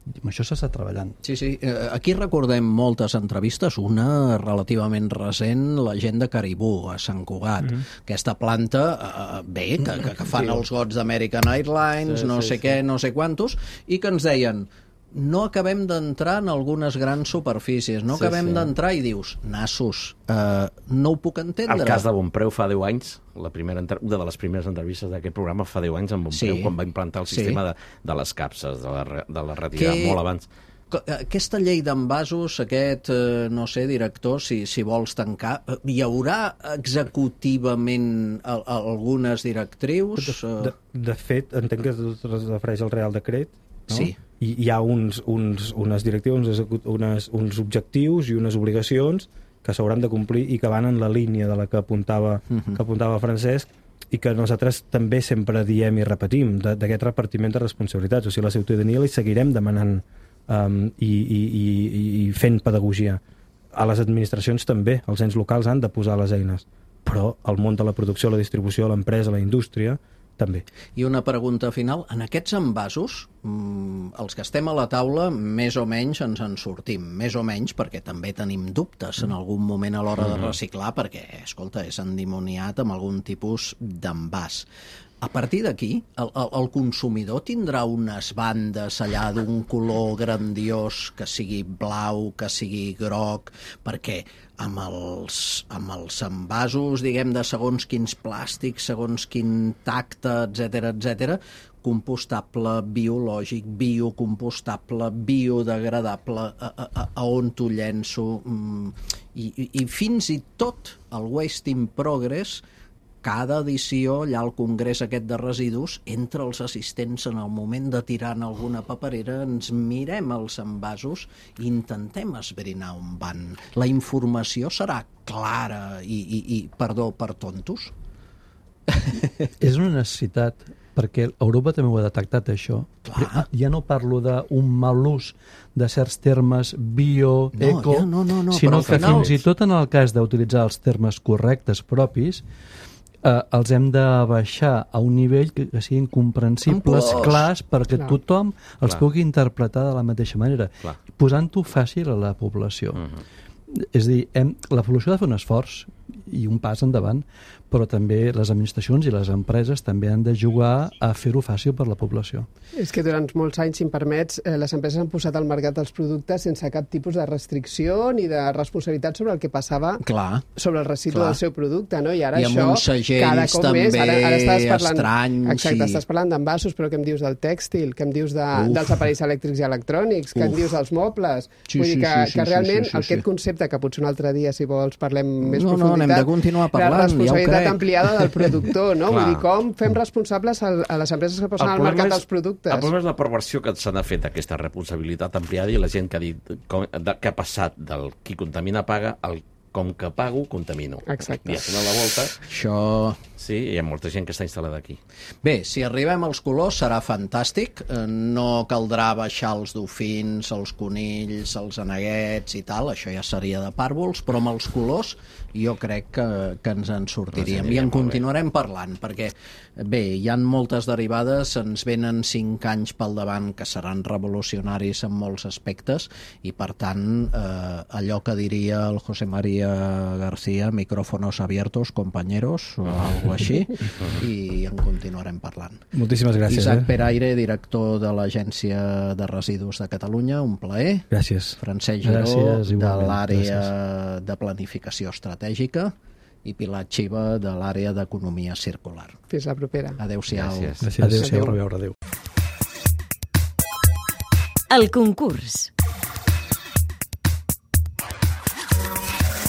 Amb això s'està treballant. Sí. Aquí recordem moltes entrevistes, una relativament recent, la gent de Caribou, a Sant Cugat. Aquesta planta, que fan els gots d'American Airlines, no sé què, no sé quantos, i que ens deien, no acabem d'entrar en algunes grans superfícies, no acabem d'entrar, i dius, nassos, no ho puc entendre. El cas de Bonpreu fa 10 anys, una de les primeres entrevistes d'aquest programa fa 10 anys amb Bonpreu, quan va implantar el sistema de les capses, de la retirada, molt abans. Aquesta llei d'envasos, no sé, director, si vols tancar, hi haurà executivament algunes directrius? De fet, entenc que es refereix al Real Decret, no? Sí. I hi ha unes directives, uns objectius i unes obligacions que s'hauran de complir i que van en la línia de la que apuntava Francesc, i que nosaltres també sempre diem i repetim, d'aquest repartiment de responsabilitats. O sigui, la ciutadania li seguirem demanant i fent pedagogia. A les administracions també, els ens locals han de posar les eines, però el món de la producció, la distribució, l'empresa, la indústria, també. I una pregunta final. En aquests envasos, els que estem a la taula, més o menys ens en sortim. Més o menys perquè també tenim dubtes en algun moment a l'hora de reciclar, perquè, escolta, és endimoniat amb algun tipus d'envàs. A partir d'aquí, el consumidor tindrà unes bandes allà d'un color grandiós, que sigui blau, que sigui groc, perquè amb els envasos, diguem, de segons quins plàstics, segons quin tacte, etc, compostable, biològic, biocompostable, biodegradable, a on t'ho llenço, i fins i tot el Waste in Progress, cada edició, allà al congrés aquest de residus, entre els assistents en el moment de tirar en alguna paperera, ens mirem els envasos i intentem esbrinar on van. La informació serà clara i perdó, per tontos? És una necessitat, perquè Europa també ho ha detectat, això. Clar. Ja no parlo d'un mal ús de certs termes bio, eco, sinó que fins i tot en el cas d'utilitzar els termes correctes propis, els hem de baixar a un nivell que siguin comprensibles, clars, perquè tothom els pugui interpretar de la mateixa manera, posant-ho fàcil a la població. És a dir, la població ha de fer un esforç i un pas endavant, però també les administracions i les empreses també han de jugar a fer-ho fàcil per la població. És que durant molts anys, si em permets, les empreses han posat al mercat els productes sense cap tipus de restricció ni de responsabilitat sobre el que passava sobre el residu del seu producte, no? I ara això, cada cop més, ara estàs parlant, estranys. Exacte, estàs parlant d'envasos, però què em dius del tèxtil, què em dius dels aparells elèctrics i electrònics, què em dius dels mobles? Vull dir que realment aquest concepte, que potser un altre dia, si vols, parlem més profunditat, n'hem de continuar parlant, la responsabilitat ampliada del productor, no? Vull dir, com fem responsables a les empreses que posen al mercat els productes? El problema és la perversió que se n'ha fet d'aquesta responsabilitat ampliada, i la gent que ha dit que ha passat del qui contamina paga al com que pago, contamino. Exacte. I a la volta... Això Sí, hi ha molta gent que està instal·lada aquí. Bé, si arribem als colors serà fantàstic. No caldrà baixar els dofins, els conills, els aneguets i tal, això ja seria de pàrvols, però amb els colors jo crec que ens en sortiríem. I en continuarem parlant, perquè bé, hi ha moltes derivades, ens venen 5 anys pel davant que seran revolucionaris en molts aspectes i per tant allò que diria el José María García, micrófonos abiertos, compañeros, o algo així, i en continuarem parlant. Moltíssimes gràcies. Isaac Peraire, director de l'Agència de Residus de Catalunya, un plaer. Gràcies. Francesc Giró, de l'àrea de planificació estratègica, i Pilar Xiva, de l'àrea d'economia circular. Fins la propera. Adéu-siau. Gràcies. Adéu-siau. Adéu. El concurs.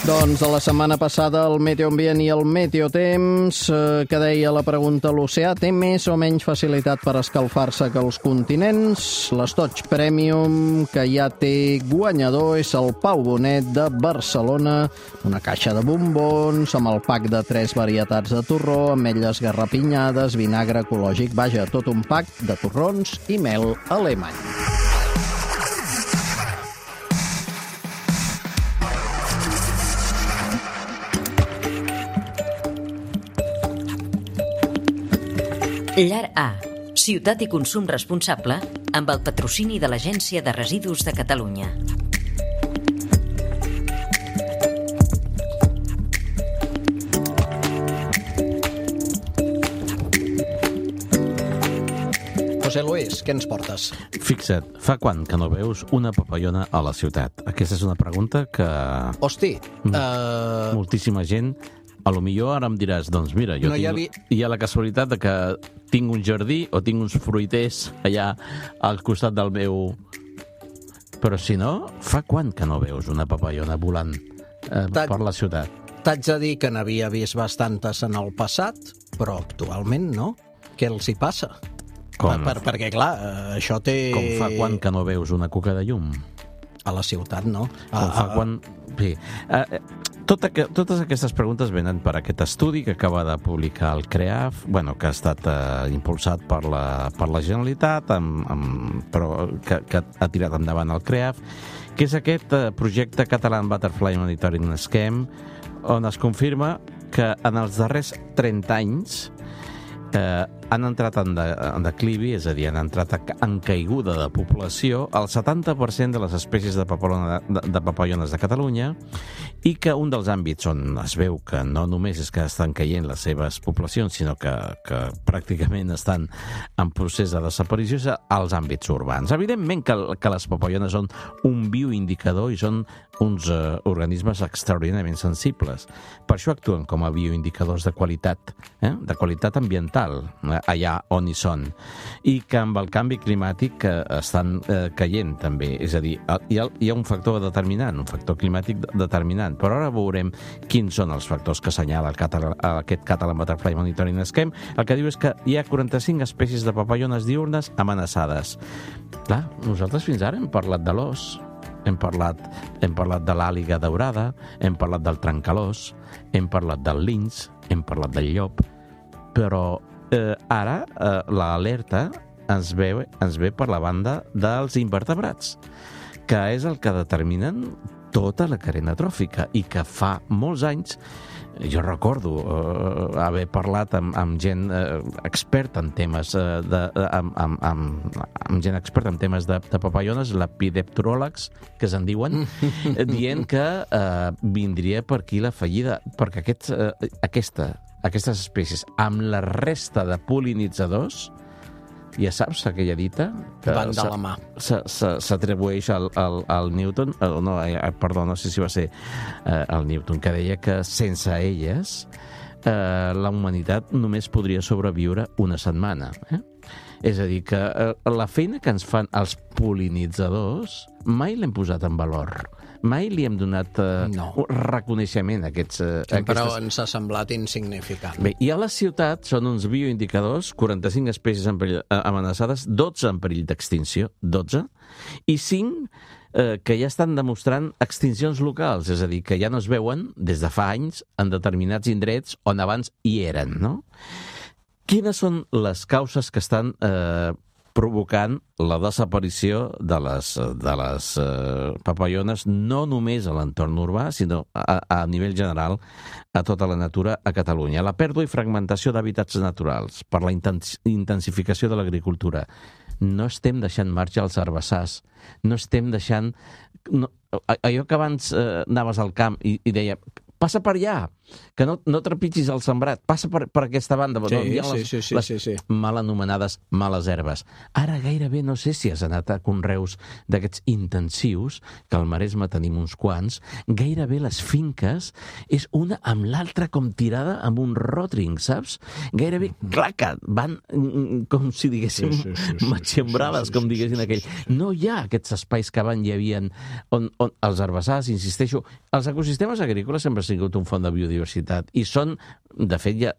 Doncs de la setmana passada el Meteoambient i el Meteotemps, que deia la pregunta, l'oceà té més o menys facilitat per escalfar-se que els continents? L'Estoig Premium, que ja té guanyador, és el Pau Bonet de Barcelona, una caixa de bombons amb el pack de 3 varietats de torró, ametlles garrapinyades, vinagre ecològic, vaja, tot un pack de torrons i mel alemany. Llar A, ciutat i consum responsable, amb el patrocini de l'Agència de Residus de Catalunya. José Luis, què ens portes? Fixa't, fa quant que no veus una papallona a la ciutat? Aquesta és una pregunta que Hosti, moltíssima gent... A lo millor ara em diràs, doncs mira, jo No hi hi ha la casualitat de que tinc un jardí o tinc uns fruiters allà al costat del meu... Però si no, fa quant que no veus una papallona volant per la ciutat? t'haig de dir que n'havia vist bastantes en el passat, però actualment no. Què els hi passa? Com? Perquè, clar, això té... Com fa quant que no veus una cuca de llum? A la ciutat, no? Com fa quan... Sí. Totes aquestes preguntes venen per aquest estudi que acaba de publicar el CREAF, bueno, que ha estat impulsat per la Generalitat, però que ha tirat endavant el CREAF, que és aquest projecte Catalan Butterfly Monitoring Scheme, on es confirma que en els darrers 30 anys han entrat en declivi, és a dir, han entrat en caiguda de població el 70% de les espècies de papallones de Catalunya, i que un dels àmbits on es veu que no només és que estan caient les seves poblacions, sinó que pràcticament estan en procés de desaparició, és als àmbits urbans. Evidentment que les papallones són un bioindicador i són uns organismes extraordinàriament sensibles. Per això actuen com a bioindicadors de qualitat ambiental, allà on hi són, i que amb el canvi climàtic estan caient també. És a dir, hi ha un factor determinant, un factor climàtic determinant, però ara veurem quins són els factors que assenyala aquest Catalan Butterfly Monitoring Scheme. El que diu és que hi ha 45 espècies de papallones diurnes amenaçades. Clar, nosaltres fins ara hem parlat de l'os, hem parlat de l'àliga daurada, hem parlat del trencalós, hem parlat del linx, hem parlat del llop, però ara l'alerta ens ve per la banda dels invertebrats, que és el que determinen tota la cadena tròfica, i que fa molts anys, jo recordo haver parlat amb gent experta en temes amb gent experta en temes de papallones, l'epidepteròlegs, que se'n diuen, dient que vindria per aquí la fallida, perquè aquestes espècies, amb la resta de pol·linitzadors, ja saps aquella dita? Van de la mà. S'atribueix al Newton, no sé si va ser el Newton, que deia que sense elles la humanitat només podria sobreviure una setmana. És a dir, que la feina que ens fan els pol·linitzadors mai l'hem posat en valor. Mai li hem donat reconeixement a Però ens ha semblat insignificant. Bé, i a la ciutat són uns bioindicadors, 45 espècies amenaçades, 12 en perill d'extinció, 12, i 5 que ja estan demostrant extincions locals, és a dir, que ja no es veuen des de fa anys en determinats indrets on abans hi eren, no? Quines són les causes que estan provocant la desaparició de les papallones, no només a l'entorn urbà, sinó a nivell general a tota la natura a Catalunya? La pèrdua i fragmentació d'hàbitats naturals per la intensificació de l'agricultura. No estem deixant marge als herbassars, no estem deixant... allò que abans anaves al camp i deia... Passa per allà, que no trepitgis el sembrat, passa per aquesta banda. Sí. Mal anomenades males herbes. Ara gairebé no sé si has anat a conreus d'aquests intensius, que al Maresme tenim uns quants, gairebé les finques és una amb l'altra com tirada amb un ròtring, saps? Gairebé, claca, van com si diguéssim matxembrades, com diguessin aquell. No hi ha aquests espais que abans hi havia on els herbassars, insisteixo, els ecosistemes agrícoles sempre han sigut un font de biodiversitat i són, de fet, ja,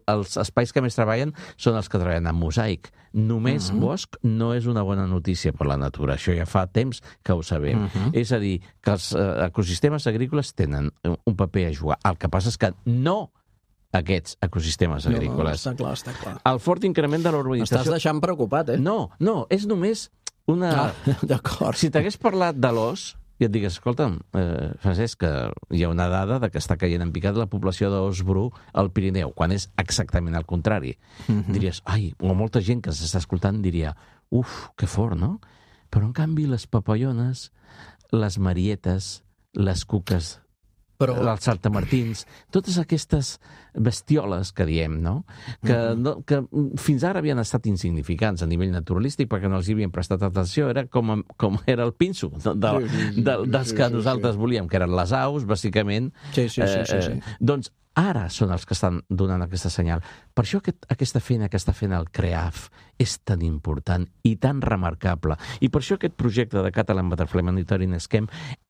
els espais que més treballen són els que treballen en mosaic. Només bosc no és una bona notícia per la natura. Això ja fa temps que ho sabem. És a dir, que els ecosistemes agrícoles tenen un paper a jugar. El que passa és que no aquests ecosistemes agrícoles. No, està clar. El fort increment de la urbanització... M'estàs deixant preocupat, eh? No, és només una... D'acord. Si t'hagués parlat de l'os, i et digues, escolta'm, Francesc, que hi ha una dada de que està caient en picat la població d'os bru al Pirineu, quan és exactament el contrari. Diries, o molta gent que s'està escoltant diria, que fort, no? Però, en canvi, les papallones, les marietes, les cuques, els saltamartins, totes aquestes bestioles que diem, no? Que fins ara havien estat insignificants a nivell naturalístic perquè no els hi havien prestat atenció, era com era el pinso dels que nosaltres volíem, que eren les aus, bàsicament. Sí. Doncs ara són els que estan donant aquesta senyal. Per això aquesta feina que està fent el CREAF és tan important i tan remarcable. I per això aquest projecte de Catalan Butterfly Monitoring Scheme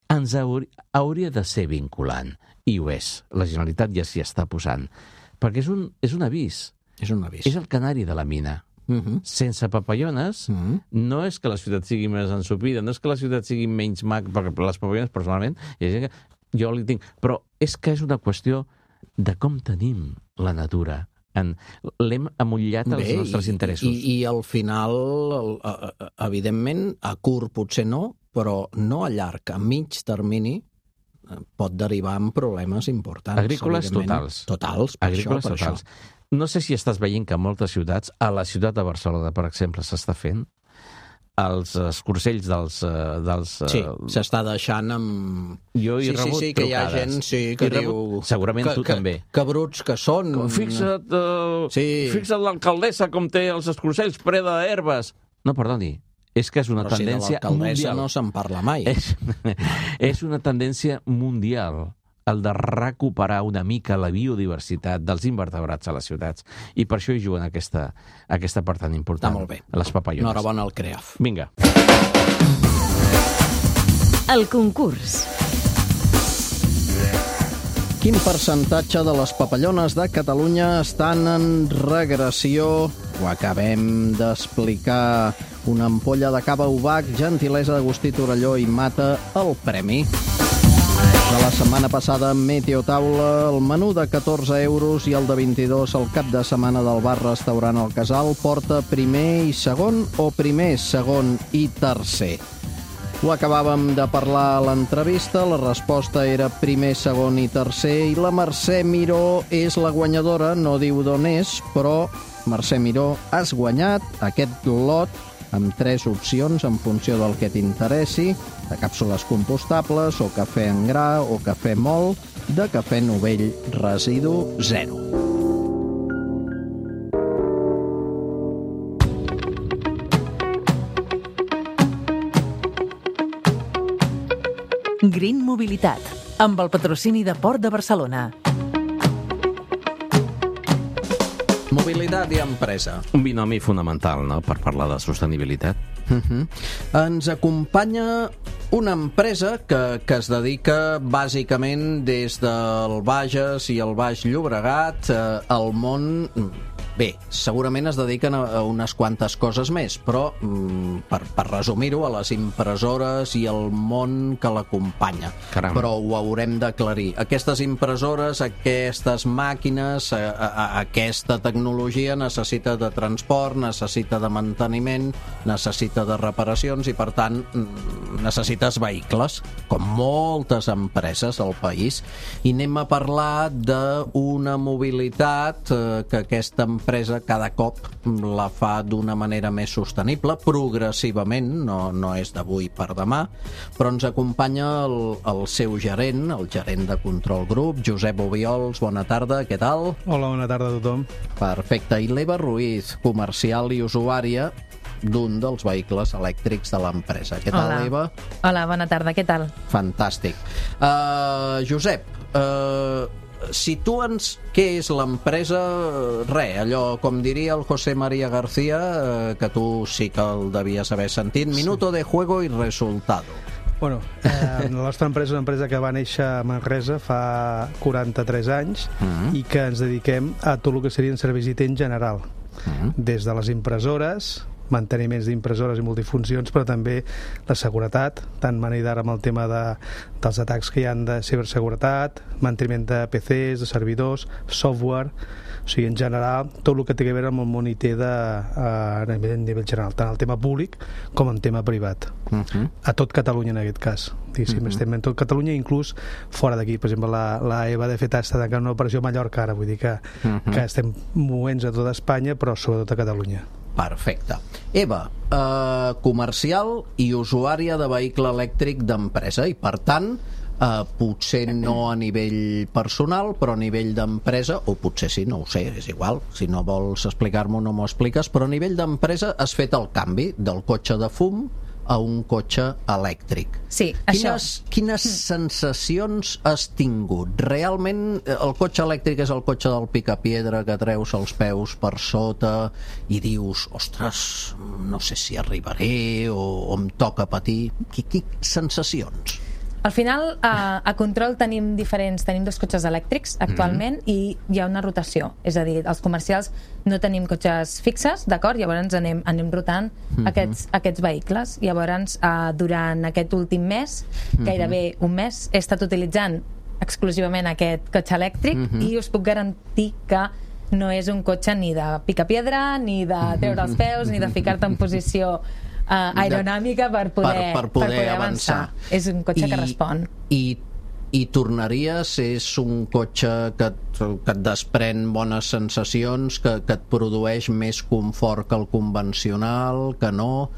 ens hauria de ser vinculant. I ho és. La Generalitat ja s'hi està posant. Perquè és un avís. És un avís. És el canari de la mina. Sense papallones, no és que la ciutat sigui més ensopida, no és que la ciutat sigui menys maca, perquè les papallones, personalment, jo li tinc... Però és que és una qüestió de com tenim la natura. L'hem amollat als nostres interessos. I al final, evidentment, a curt potser no, però no a llarg, a mig termini, pot derivar en problemes importants. Agrícoles totals. Totals, per això. No sé si estàs veient que a moltes ciutats, a la ciutat de Barcelona, per exemple, s'està fent, els escorcells dels... Sí, s'està deixant amb... Jo he rebut que hi ha gent que diu... Segurament tu també. Que bruts que són. Fixa't l'alcaldessa com té els escorcells ple d'herbes. No, perdoni, és que és una tendència mundial. Però si de l'alcaldessa no se'n parla mai. És una tendència mundial el de recuperar una mica la biodiversitat dels invertebrats a les ciutats. I per això hi juguen aquesta part tan important. Està molt bé. Les papallones. Enhorabona al CREAF. Vinga. El concurs. Quin percentatge de les papallones de Catalunya estan en regressió? Ho acabem d'explicar. Una ampolla de cava Ubac, gentilesa d'Agustí Torelló i Mata, el premi. De la setmana passada, Meteotaula, el menú de 14 euros i el de 22 al cap de setmana del bar-restaurant El Casal porta primer i segon o primer, segon i tercer. Ho acabàvem de parlar a l'entrevista, la resposta era primer, segon i tercer i la Mercè Miró és la guanyadora, no diu d'on és, però Mercè Miró, has guanyat aquest lot amb 3 opcions en funció del que t'interessi, de càpsules compostables, o cafè en gra, o cafè molt, de cafè novell residu 0. Green Mobilitat, amb el patrocini de Port de Barcelona. Mobilitat i empresa. Un binomi fonamental, no?, per parlar de sostenibilitat. Ens acompanya una empresa que es dedica bàsicament des del Bages i el Baix Llobregat al món bé, segurament es dediquen a unes quantes coses més, però per resumir-ho, a les impressores i el món que l'acompanya. Caram. Però ho haurem d'aclarir. Aquestes impressores, aquestes màquines, aquesta tecnologia necessita de transport, necessita de manteniment, necessita de reparacions i, per tant, necessites vehicles, com moltes empreses al país. I anem a parlar d'una mobilitat que aquesta empresa cada cop la fa d'una manera més sostenible, progressivament, no és d'avui per demà, però ens acompanya el seu gerent, el gerent de Control Group, Josep Obiols. Bona tarda, què tal? Hola, bona tarda a tothom. Perfecte. I l'Eva Ruiz, comercial i usuària d'un dels vehicles elèctrics de l'empresa. Què tal, Hola. Eva? Hola, bona tarda, què tal? Fantàstic. Josep, situa'ns què és l'empresa, allò, com diria el José María García, que tu sí que el devies haver sentit, minuto de juego y resultado. Bueno, la nostra empresa és una empresa que va néixer a Manresa fa 43 anys i que ens dediquem a tot el que serien serveis IT en general, des de les impressores, manteniments d'impressores i multifuncions, però també la seguretat, tant manera amb el tema dels atacs que hi han de ciberseguretat, manteniment de PCs, de servidors, software, o sigui, en general, tot el que té a veure amb el món IT a nivell general, tant el tema públic com en tema privat. A tot Catalunya, en aquest cas. Estem en tot Catalunya, inclús fora d'aquí. Per exemple, la Eva, de fet, està tancant una operació a Mallorca ara, vull dir que estem movents a tota Espanya, però sobretot a Catalunya. Perfecte. Eva, comercial i usuària de vehicle elèctric d'empresa i, per tant, potser no a nivell personal, però a nivell d'empresa, o potser sí, no ho sé, és igual, si no vols explicar-m'ho no m'ho expliques, però a nivell d'empresa has fet el canvi del cotxe de fum a un cotxe elèctric. Sí, Quines sensacions has tingut? Realment el cotxe elèctric és el cotxe del picapiedra que treus els peus per sota i dius, ostres, no sé si arribaré o em toca patir. Sensacions? Al final, a Control tenim dos cotxes elèctrics actualment i hi ha una rotació, és a dir, els comercials no tenim cotxes fixes, d'acord? Llavors anem rotant aquests vehicles. Llavors, durant aquest últim mes, gairebé un mes, he estat utilitzant exclusivament aquest cotxe elèctric i us puc garantir que no és un cotxe ni de picapiedra, ni de treure els peus, ni de ficar-te en posició aeronàmica per poder avançar. És un cotxe que respon. I tornaries? És un cotxe que et desprèn bones sensacions, que et produeix més confort que el convencional, que no?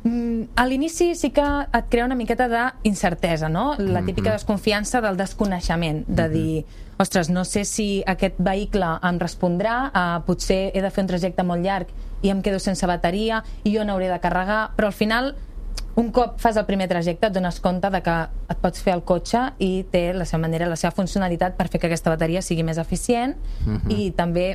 A l'inici sí que et crea una miqueta d'incertesa, no? La típica desconfiança del desconeixement, de dir, ostres, no sé si aquest vehicle em respondrà, potser he de fer un trajecte molt llarg i em quedo sense bateria i jo n'hauré de carregar, però al final un cop fas el primer trajecte et dones compte de que et pots fer el cotxe i té la seva manera, la seva funcionalitat per fer que aquesta bateria sigui més eficient i també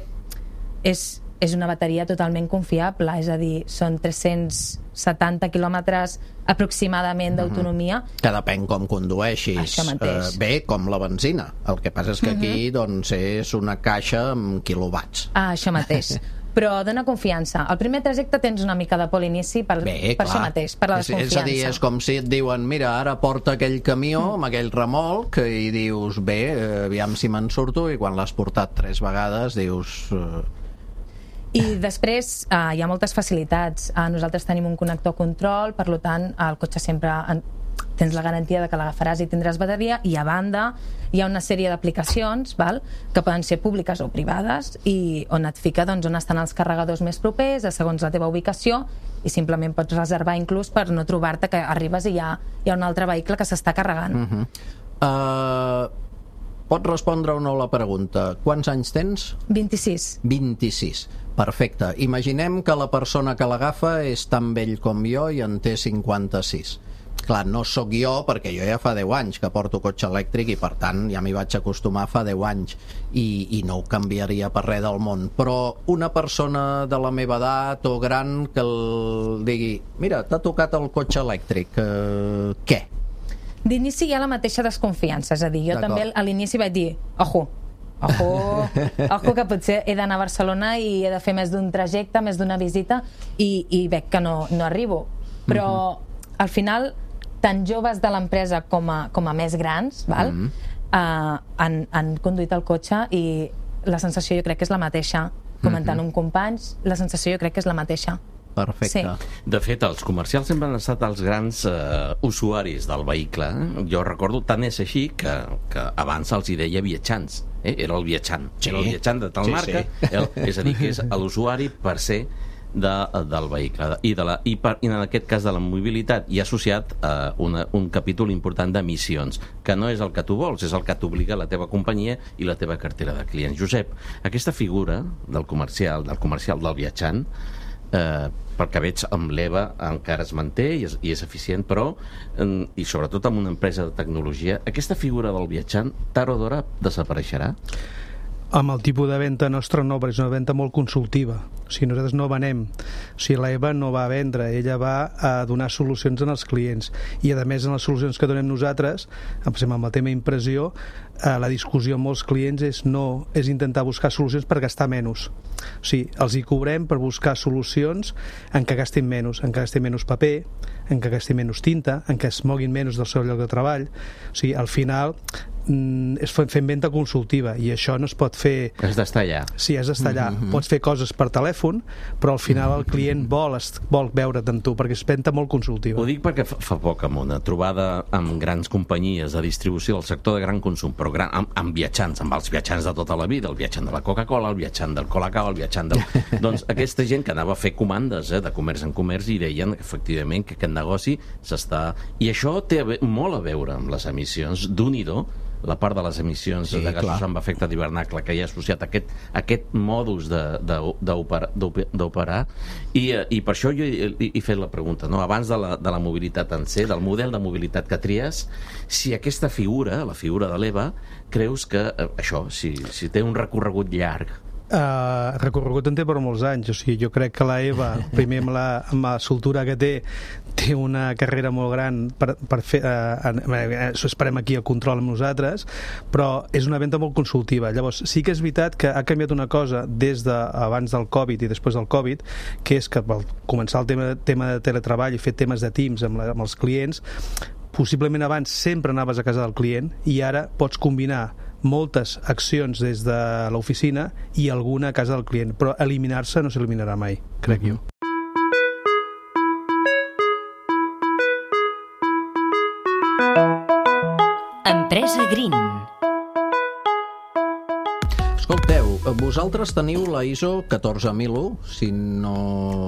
és una bateria totalment confiable, és a dir, són 370 quilòmetres aproximadament d'autonomia. Que depèn com condueixis. Això mateix. Bé, com la benzina. El que passa és que aquí doncs, és una caixa amb quilowatts. Això mateix. Però dona confiança. Al primer trajecte tens una mica de por a l'inici per això mateix, per la desconfiança. És a dir, és com si et diuen, mira, ara porta aquell camió amb aquell remolc i dius, bé, aviam si me'n surto, i quan l'has portat 3 vegades dius... I després hi ha moltes facilitats. Nosaltres tenim un connector control, per tant el cotxe sempre tens la garantia de que l'agafaràs i tindràs bateria, i a banda hi ha una sèrie d'aplicacions que poden ser públiques o privades i on et fica on estan els carregadors més propers segons la teva ubicació, i simplement pots reservar inclús per no trobar-te que arribes i hi ha un altre vehicle que s'està carregant. Pots respondre o no la pregunta? Quants anys tens? 26. 26. Perfecte. Imaginem que la persona que l'agafa és tan vell com jo i en té 56. Clar, no sóc jo, perquè jo ja fa 10 anys que porto cotxe elèctric i per tant ja m'hi vaig acostumar fa 10 anys i no ho canviaria per res del món, però una persona de la meva edat o gran que el digui, mira, t'ha tocat el cotxe elèctric, què? D'inici hi ha la mateixa desconfiança, és a dir, jo també a l'inici vaig dir, ojo, ojo que potser he d'anar a Barcelona i he de fer més d'un trajecte, més d'una visita i veig que no arribo, però al final tant joves de l'empresa com a més grans han conduït el cotxe i la sensació jo crec que és la mateixa. Comentant amb companys, la sensació jo crec que és la mateixa. Perfecte. Sí. De fet, els comercials sempre han estat els grans usuaris del vehicle. Jo recordo, tant és així que abans els hi deia viatjants. Era el viatjant. Era el viatjant de tal marca. És a dir, que és l'usuari per ser del vehicle. I en aquest cas de la mobilitat hi ha associat un capítol important d'emissions, que no és el que tu vols, és el que t'obliga la teva companyia i la teva cartera de clients. Josep, aquesta figura del comercial del viatjant, pel que veig amb l'EVA encara es manté i és eficient, però i sobretot amb una empresa de tecnologia, aquesta figura del viatjant tard o d'hora desapareixerà? Amb el tipus de venda nostra no, perquè és una venda molt consultiva. O sigui, nosaltres no venem. O sigui, l'EVA no va a vendre, ella va a donar solucions als clients. I, a més, en les solucions que donem nosaltres, amb el tema impressió, la discussió amb molts clients és intentar buscar solucions per gastar menys. O sigui, els hi cobrem per buscar solucions en què gastin menys, paper, en què gastin menys tinta, en què es moguin menys del seu lloc de treball. O sigui, al final és fent venda consultiva i això no es pot fer... Has d'estar allà. Sí, has d'estar allà. Pots fer coses per telèfon, però al final el client vol veure't amb tu, perquè és venda molt consultiva. Ho dic perquè fa poc amb una trobada amb grans companyies de distribució del sector de gran consum, però amb viatjants, amb els viatjants de tota la vida, el viatjant de la Coca-Cola, el viatjant del Colacao, el viatjant del... Doncs aquesta gent que anava a fer comandes de comerç en comerç i deien efectivament que aquest negoci s'està... I això té molt a veure amb les emissions d'un-i-do, la part de les emissions de gasos amb efecte d'hivernacle que hi ha associat a aquest modus d'operar i per això jo he fet la pregunta, no? Abans de la mobilitat en si, del model de mobilitat que tries, si aquesta figura, la figura de l'EVA, creus que això, si té un recorregut llarg? Recorregut en té per molts anys. O sigui, jo crec que la EVA, primer amb la soltura que té una carrera molt gran per fer, esperem aquí el control amb nosaltres, però és una venda molt consultiva. Llavors, sí que és veritat que ha canviat una cosa des d'abans del Covid i després del Covid, que és que al començar el tema de teletreball i fer temes de Teams amb els clients, possiblement abans sempre anaves a casa del client i ara pots combinar moltes accions des de l'oficina i alguna a casa del client, però eliminar-se no s'eliminarà mai, crec jo. Empresa Green. Escolteu, vosaltres teniu la ISO 14001, si no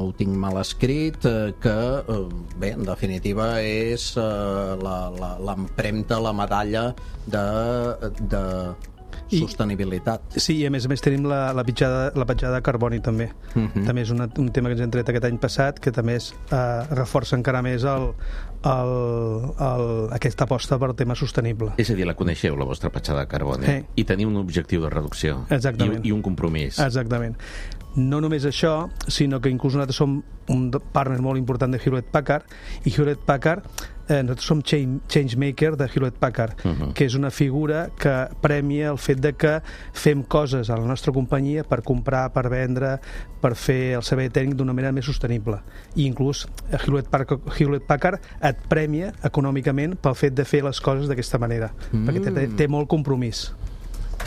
ho tinc mal escrit, que, bé, en definitiva és l'empremta, la medalla de sostenibilitat. Sí, i a més tenim la petjada de carboni també. També és un tema que ens hem tret aquest any passat, que també reforça encara més aquesta aposta per tema sostenible. És a dir, la coneixeu, la vostra petjada de carboni, i teniu un objectiu de reducció. Exactament. I un compromís. Exactament. No només això, sinó que inclús nosaltres som un partner molt important de Hewlett-Packard, i Hewlett-Packard, nosaltres som changemaker de Hewlett-Packard, que és una figura que premia el fet de que fem coses a la nostra companyia per comprar, per vendre, per fer el servei tècnic d'una manera més sostenible. I inclús Hewlett-Packard et premia econòmicament pel fet de fer les coses d'aquesta manera, perquè té molt compromís.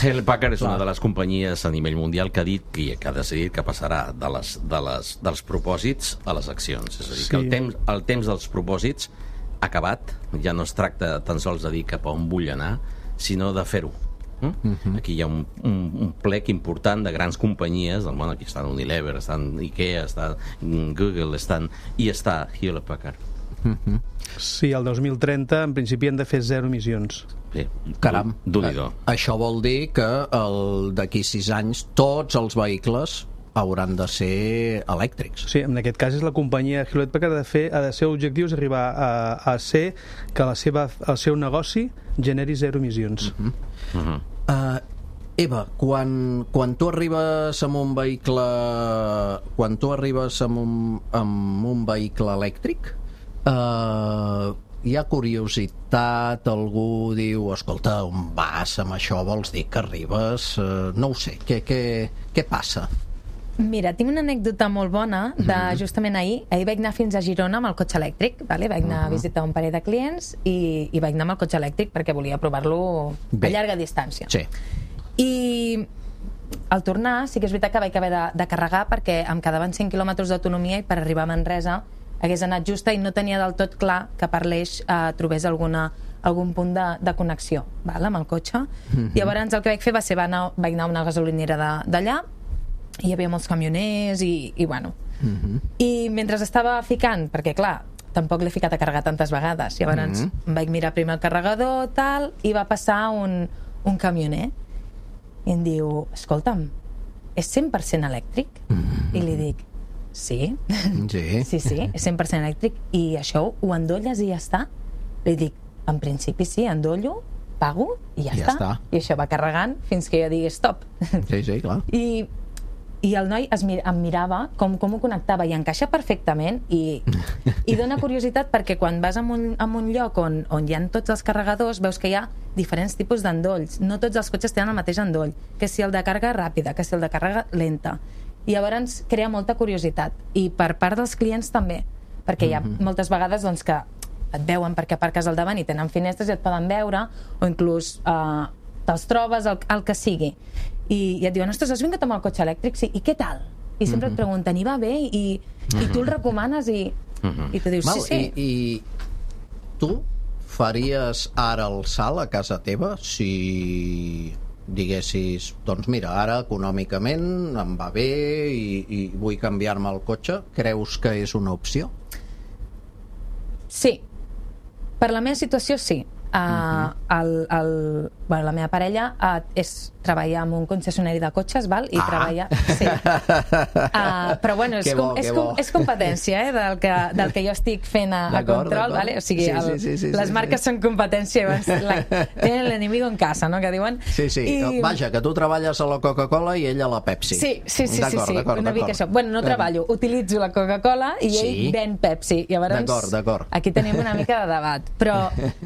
Hewlett-Packard és una de les companyies a nivell mundial que ha dit que ha decidit que passarà dels propòsits a les accions. És a dir, que el temps dels propòsits ha acabat, ja no es tracta tan sols de dir cap a on vull anar, sinó de fer-ho. Aquí hi ha un plec important de grans companyies del món. Aquí estan Unilever, estan IKEA, està Google, i està Hewlett-Packard. Sí, el 2030 en principi han de fer 0 emissions. Caram, Déu-n'hi-do. Això vol dir que d'aquí 6 anys tots els vehicles hauran de ser elèctrics. Sí, en aquest cas és la companyia Hewlett-Packard ha de ser objectius arribar a ser que el seu negoci generi 0 emissions. Eva, quan tu arribes amb un vehicle amb un vehicle elèctric, hi ha curiositat, algú diu, escolta, on vas amb això, vols dir que arribes? No ho sé, què passa? Mira, tinc una anècdota molt bona de justament ahir vaig anar fins a Girona amb el cotxe elèctric, vale? Vaig anar a visitar un parell de clients i vaig anar amb el cotxe elèctric perquè volia provar-lo a llarga distància. Sí. I al tornar sí que és veritat que vaig haver de carregar perquè em quedaven 100 quilòmetres d'autonomia i per arribar a Manresa hagués anat justa i no tenia del tot clar que per l'Eix trobés algun punt de connexió, val? Amb el cotxe. Llavors el que vaig fer va ser vaig anar a una gasolinera d'allà, hi havia molts camioners i bueno. I mentre estava ficant, perquè clar, tampoc l'he ficat a carregar tantes vegades, llavors em vaig mirar primer el carregador tal, i va passar un camioner i em diu, escolta'm, és 100% elèctric? I li dic, sí, sí, és 100% elèctric. I això ho endolles i ja està? Li dic, en principi sí, endollo, pago i ja està. I això va carregant fins que jo digui stop. Sí, clar. I el noi em mirava com ho connectava i encaixa perfectament i dona curiositat perquè quan vas a un lloc on hi ha tots els carregadors veus que hi ha diferents tipus d'endolls. No tots els cotxes tenen el mateix endoll, que si el de càrrega ràpida, que si el de càrrega lenta. I llavors crea molta curiositat. I per part dels clients també, perquè hi ha moltes vegades doncs, que et veuen perquè aparques al davant i tenen finestres i et poden veure, o inclús te'ls trobes, el que sigui. I et diuen, ostres, has vingut amb el cotxe elèctric? Sí, i què tal? I sempre et pregunten, i va bé? I tu el recomanes i tu dius, sí. I tu faries ara el salt a casa teva si diguessis, doncs mira, ara econòmicament em va bé i vull canviar-me el cotxe? Creus que és una opció? Sí. Per la meva situació, sí. La meva parella treballa en un concessionari de cotxes, val? I treballa... Sí. Però bueno, és competència del que jo estic fent a control, vale? O sigui, les marques són competència, tenen l'enemigo en casa, no?, que diuen. Sí. Vaja, que tu treballes a la Coca-Cola i ell a la Pepsi. Sí, una mica això. Bueno, no treballo, utilitzo la Coca-Cola i ell ven Pepsi. D'acord. Aquí tenim una mica de debat. Però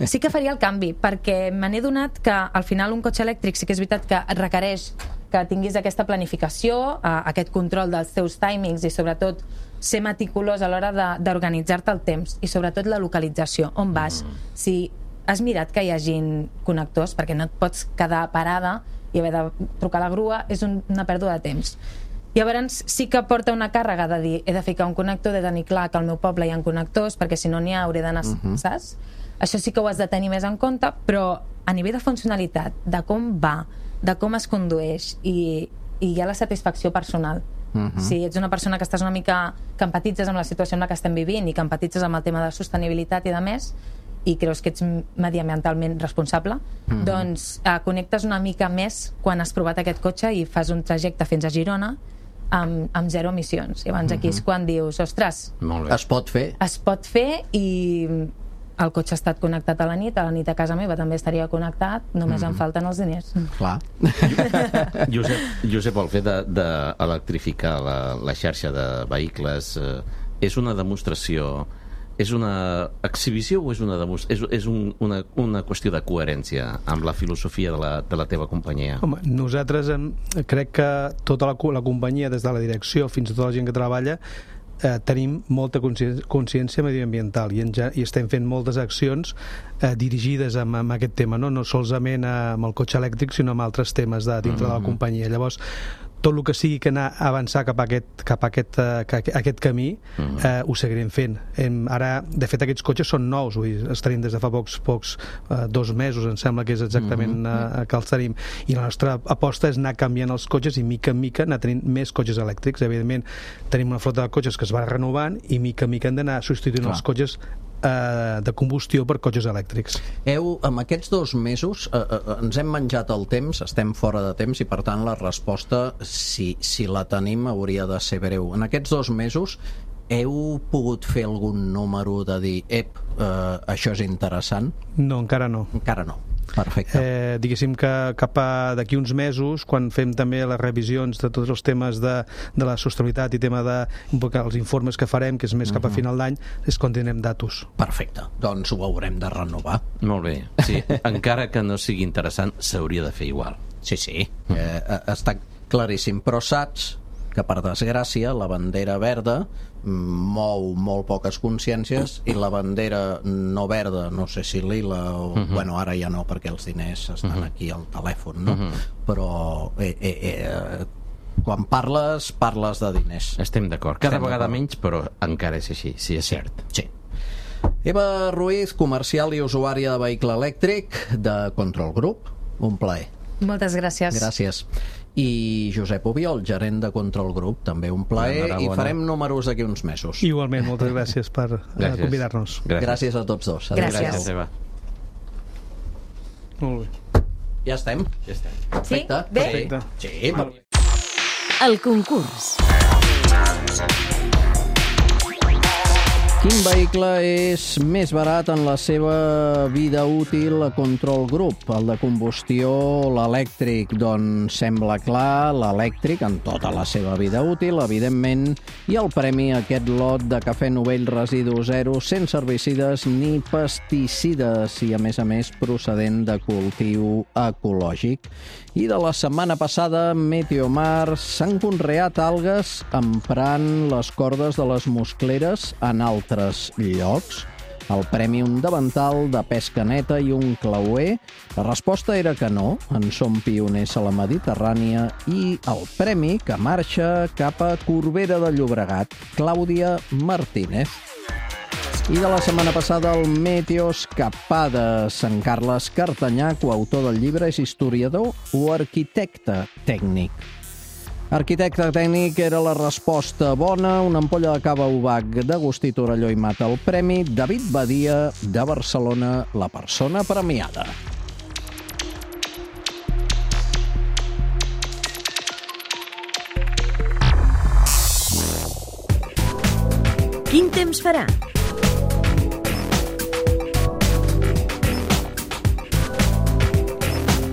sí que faria el canvi, perquè me n'he donat que al final un cotxe elèctric sí que és veritat que requereix que tinguis aquesta planificació, aquest control dels teus timings i sobretot ser meticulós a l'hora d'organitzar-te el temps i sobretot la localització, on vas. Si has mirat que hi hagin connectors, perquè no et pots quedar parada i haver de trucar a la grua, és una pèrdua de temps. Llavors sí que porta una càrrega de dir, he de ficar un connector, he de tenir clar que al meu poble hi ha connectors, perquè si no n'hi ha hauré d'anar, saps? Això sí que ho has de tenir més en compte, però a nivell de funcionalitat, de com va, de com es condueix i hi ha la satisfacció personal. Si ets una persona que estàs una mica, que empatitzes amb la situació en la que estem vivint i que empatitzes amb el tema de sostenibilitat i de més, i creus que ets mediambientalment responsable, doncs connectes una mica més quan has provat aquest cotxe i fas un trajecte fins a Girona amb zero emissions. I abans aquí és quan dius, ostres, es pot fer? Es pot fer i el cotxe ha estat connectat a la nit a casa meva també estaria connectat, només em falten els diners. Clar. Josep, el fet d'electrificar la xarxa de vehicles és una demostració, és una exhibició o és una qüestió de coherència amb la filosofia de la teva companyia? Home, nosaltres crec que tota la companyia, des de la direcció fins a tota la gent que treballa, tenim molta consciència mediambiental i estem fent moltes accions dirigides amb aquest tema, no solament amb el cotxe elèctric, sinó amb altres temes dintre de la companyia. Llavors, tot el que sigui que anar a avançar cap a aquest camí ho seguirem fent. Ara, de fet, aquests cotxes són nous, els tenim des de fa pocs 2 mesos, em sembla que és exactament que els tenim, i la nostra aposta és anar canviant els cotxes i mica en mica anar tenint més cotxes elèctrics. Evidentment, tenim una flota de cotxes que es va renovant i mica en mica hem d'anar substituint els cotxes de combustió per cotxes elèctrics. Amb aquests 2 mesos ens hem menjat el temps, estem fora de temps i per tant la resposta, si la tenim, hauria de ser breu. En aquests 2 mesos heu pogut fer algun número de dir això és interessant? No, encara no. Encara no. Perfecte. Diguéssim que cap d'aquí uns mesos, quan fem també les revisions de tots els temes de la sostenibilitat i tema dels informes que farem, que és més cap a final d'any, és quan tindrem datos. Perfecte, doncs ho haurem de renovar. Molt bé, sí, encara que no sigui interessant, s'hauria de fer igual. Sí, està claríssim, però saps que, per desgràcia, la bandera verda mou molt poques consciències i la bandera no verda, no sé si lila o... Bueno, ara ja no, perquè els diners estan aquí al telèfon, no? Però quan parles de diners. Estem d'acord. Cada vegada menys, però encara és així, sí, és cert. Sí. Eva Ruiz, comercial i usuària de vehicle elèctric de Control Group. Un plaer. Moltes gràcies. Gràcies. I Josep Obiol, gerent de Control Group, també un plaer, i farem números d'aquí uns mesos. Igualment, moltes gràcies per convidar-nos. Gràcies a tots dos. Gràcies. Eva. Molt bé. Ja estem? Ja estem. Perfecte. Sí? Bé? Perfecte. Sí, El concurs. Quin vehicle és més barat en la seva vida útil a Control Group? El de combustió o l'elèctric? Doncs sembla clar, l'elèctric en tota la seva vida útil, evidentment, i el premi a aquest lot de cafè Novell Residu Zero sense herbicides ni pesticides i, a més, procedent de cultiu ecològic. I de la setmana passada, Meteomar s'han conreat algues emprant les cordes de les muscleres en altres llocs. El premi un davantal de pesca neta i un clauer. La resposta era que no, en som pioners a la Mediterrània, i el premi que marxa cap a Corbera de Llobregat, Clàudia Martínez. I de la setmana passada, el Meteo Escapades. En Carles Cartanyà, coautor del llibre, és historiador o arquitecte tècnic? Arquitecte tècnic era la resposta bona. Una ampolla de cava Ubac d'Agustí Torelló i Mata el premi. David Badia, de Barcelona, la persona premiada. Quin temps farà?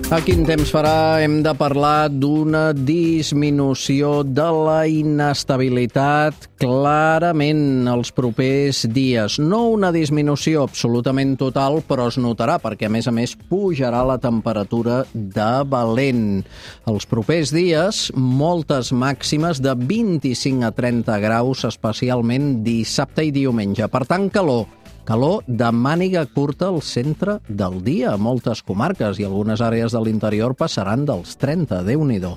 A quin temps farà? Hem de parlar d'una disminució de la inestabilitat clarament els propers dies. No una disminució absolutament total, però es notarà perquè, a més, pujarà la temperatura de valent. Els propers dies, moltes màximes de 25 a 30 graus, especialment dissabte i diumenge. Per tant, calor de màniga curta al centre del dia a moltes comarques i algunes àrees de l'interior passaran dels 30, Déu-n'hi-do.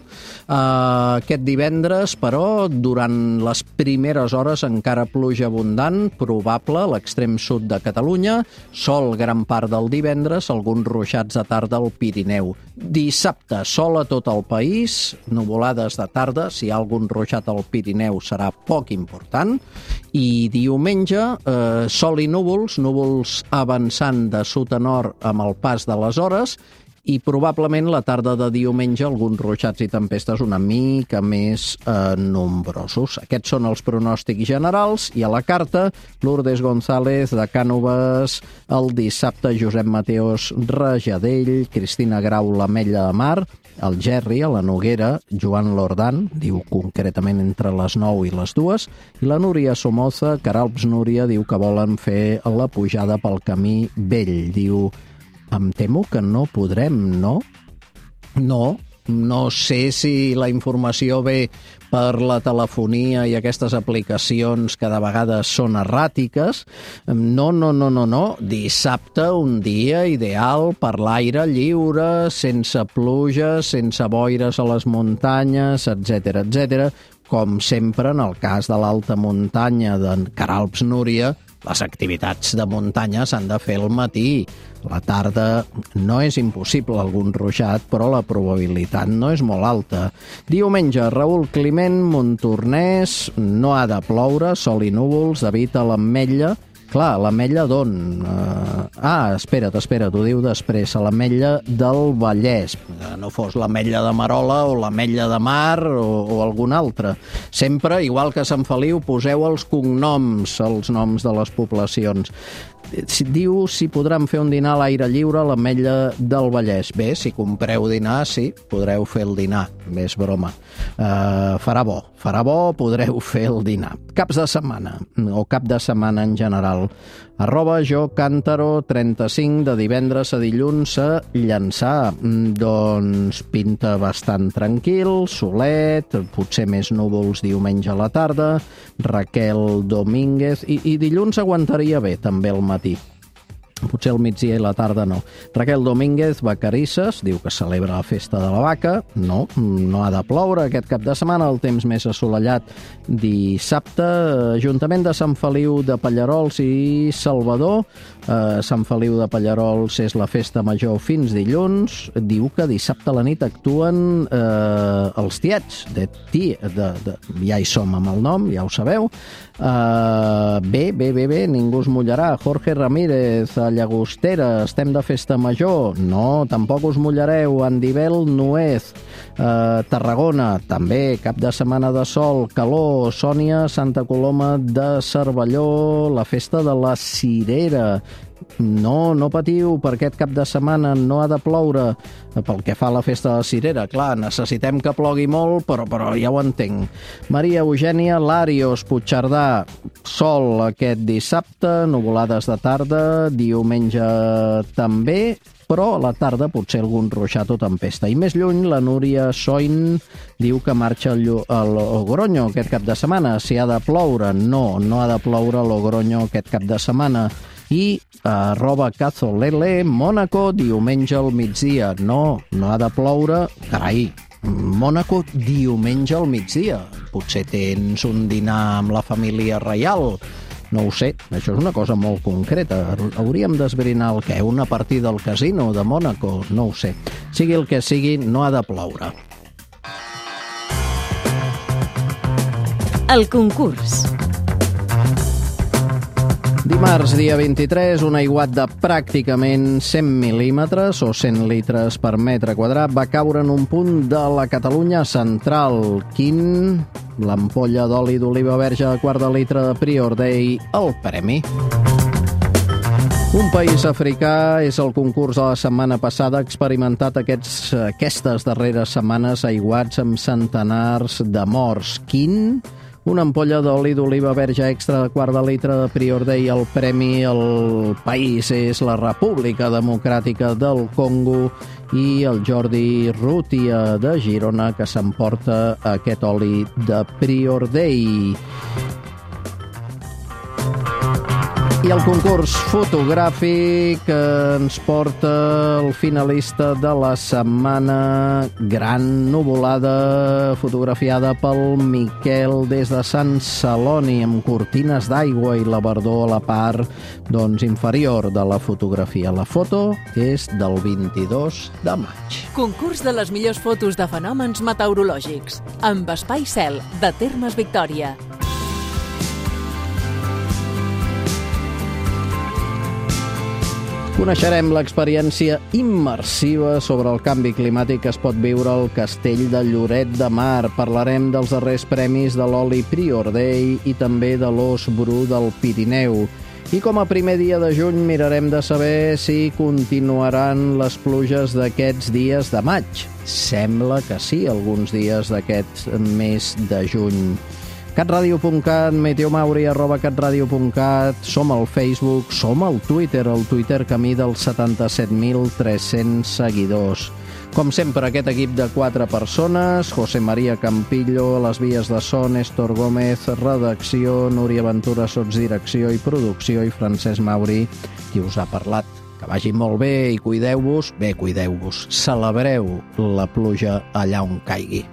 Aquest divendres, però, durant les primeres hores encara pluja abundant, probable a l'extrem sud de Catalunya, sol gran part del divendres, alguns ruixats de tarda al Pirineu. Dissabte, sol a tot el país, nuvolades de tarda, si hi ha algun ruixat al Pirineu serà poc important, i diumenge, sol i núvols avançant de sud a nord amb el pas de les hores, i probablement la tarda de diumenge alguns ruixats i tempestes una mica més nombrosos. Aquests són els pronòstics generals, i a la carta, Lourdes González de Cànoves, el dissabte Josep Mateos Rajadell, Cristina Grau l'Ametlla de Mar, el Gerri a la Noguera, Joan Lordan, diu concretament entre les 9 i les 2, i la Núria Somoza, Caralps Núria, diu que volen fer la pujada pel camí vell. Diu, em temo que no podrem, no? No sé si la informació ve per la telefonia i aquestes aplicacions que de vegades són erràtiques. No. Dissabte, un dia ideal per l'aire lliure, sense pluja, sense boires a les muntanyes, etc. Com sempre, en el cas de l'alta muntanya d'en Caralps Núria, les activitats de muntanya s'han de fer al matí. La tarda no és impossible algun ruixat, però la probabilitat no és molt alta. Diumenge, Raül Climent, Montornès, no ha de ploure, sol i núvols, David a l'Ametlla. Clar, l'Ametlla d'on? Espera't, ho diu després, a l'Ametlla del Vallès. No fos l'Ametlla de Marola o l'Ametlla de Mar o algun altre. Sempre, igual que a Sant Feliu, poseu els cognoms, els noms de les poblacions. Diu si podran fer un dinar a l'aire lliure a l'Ametlla del Vallès. Bé, si compreu dinar, sí, podreu fer el dinar. Bé, és broma. Farà bo, podreu fer el dinar. Caps de setmana, o cap de setmana en general. @jocantaro35, de divendres a dilluns a Llançà. Doncs pinta bastant tranquil, solet, potser més núvols diumenge a la tarda. Raquel Domínguez, i dilluns aguantaria bé també al matí. Potser al migdia i la tarda no. Raquel Domínguez, Vacarisses, diu que celebra la festa de la vaca. No ha de ploure aquest cap de setmana, el temps més assolellat dissabte. Ajuntament de Sant Feliu de Pallarols i Salvador. Sant Feliu de Pallarols és la festa major fins dilluns. Diu que dissabte a la nit actuen els tiets. Ja hi som amb el nom, ja ho sabeu. Bé, ningú es mullarà. Jorge Ramírez, a Llagostera, estem de festa major? No, tampoc us mullareu. Andivel Nuez, Tarragona, també, cap de setmana de sol, calor. Sònia, Santa Coloma de Cervelló, la festa de la Cirera. No patiu, per aquest cap de setmana no ha de ploure. Pel que fa a la festa de la Cirera, clar, necessitem que plogui molt, però ja ho entenc. Maria Eugènia Larios, Puigcerdà, sol aquest dissabte, nuvolades de tarda, diumenge també, però a la tarda potser algun ruixat o tempesta. I més lluny, la Núria Soin diu que marxa a Logroño aquest cap de setmana. Si ha de ploure, no ha de ploure a Logroño aquest cap de setmana. I @Cazolele, Mònaco, diumenge al migdia. No ha de ploure. Carai, Mònaco diumenge al migdia. Potser tens un dinar amb la família reial. No ho sé, això és una cosa molt concreta. Hauríem d'esbrinar el què? Una partida al casino de Mònaco? No ho sé. Sigui el que sigui, no ha de ploure. El concurs. Dimarts, dia 23, un aiguat de pràcticament 100 mil·límetres o 100 litres per metre quadrat va caure en un punt de la Catalunya central. Quin? L'ampolla d'oli d'oliva verge de quart de litre de Prior Day, el premi. Un país africà és el concurs de la setmana passada, ha experimentat aquestes darreres setmanes aiguats amb centenars de morts. Quin? Una ampolla d'oli d'oliva verge extra de quart de litre de Prior Day, el premi. El país és la República Democràtica del Congo i el Jordi Rútia de Girona, que s'emporta aquest oli de Prior Day. I el concurs fotogràfic ens porta el finalista de la setmana, gran nuvolada fotografiada pel Miquel des de Sant Celoni, amb cortines d'aigua i la verdor a la part inferior de la fotografia. La foto és del 22 de maig. Concurs de les millors fotos de fenòmens meteorològics, amb Espai Cel, de Termes Victòria. Coneixerem l'experiència immersiva sobre el canvi climàtic que es pot viure al Castell de Lloret de Mar. Parlarem dels darrers premis de l'oli Prior Day i també de l'os bru del Pirineu. I com a primer dia de juny mirarem de saber si continuaran les pluges d'aquests dies de maig. Sembla que sí, alguns dies d'aquest mes de juny. catradio.cat, meteomauri @catradio.cat, som al Facebook, som al Twitter, el Twitter camí dels 77.300 seguidors. Com sempre, aquest equip de 4 persones, José María Campillo, a les vies de so, Néstor Gómez, redacció, Núria Ventura, sotsdirecció i producció, i Francesc Mauri, qui us ha parlat. Que vagi molt bé i cuideu-vos, celebreu la pluja allà on caigui.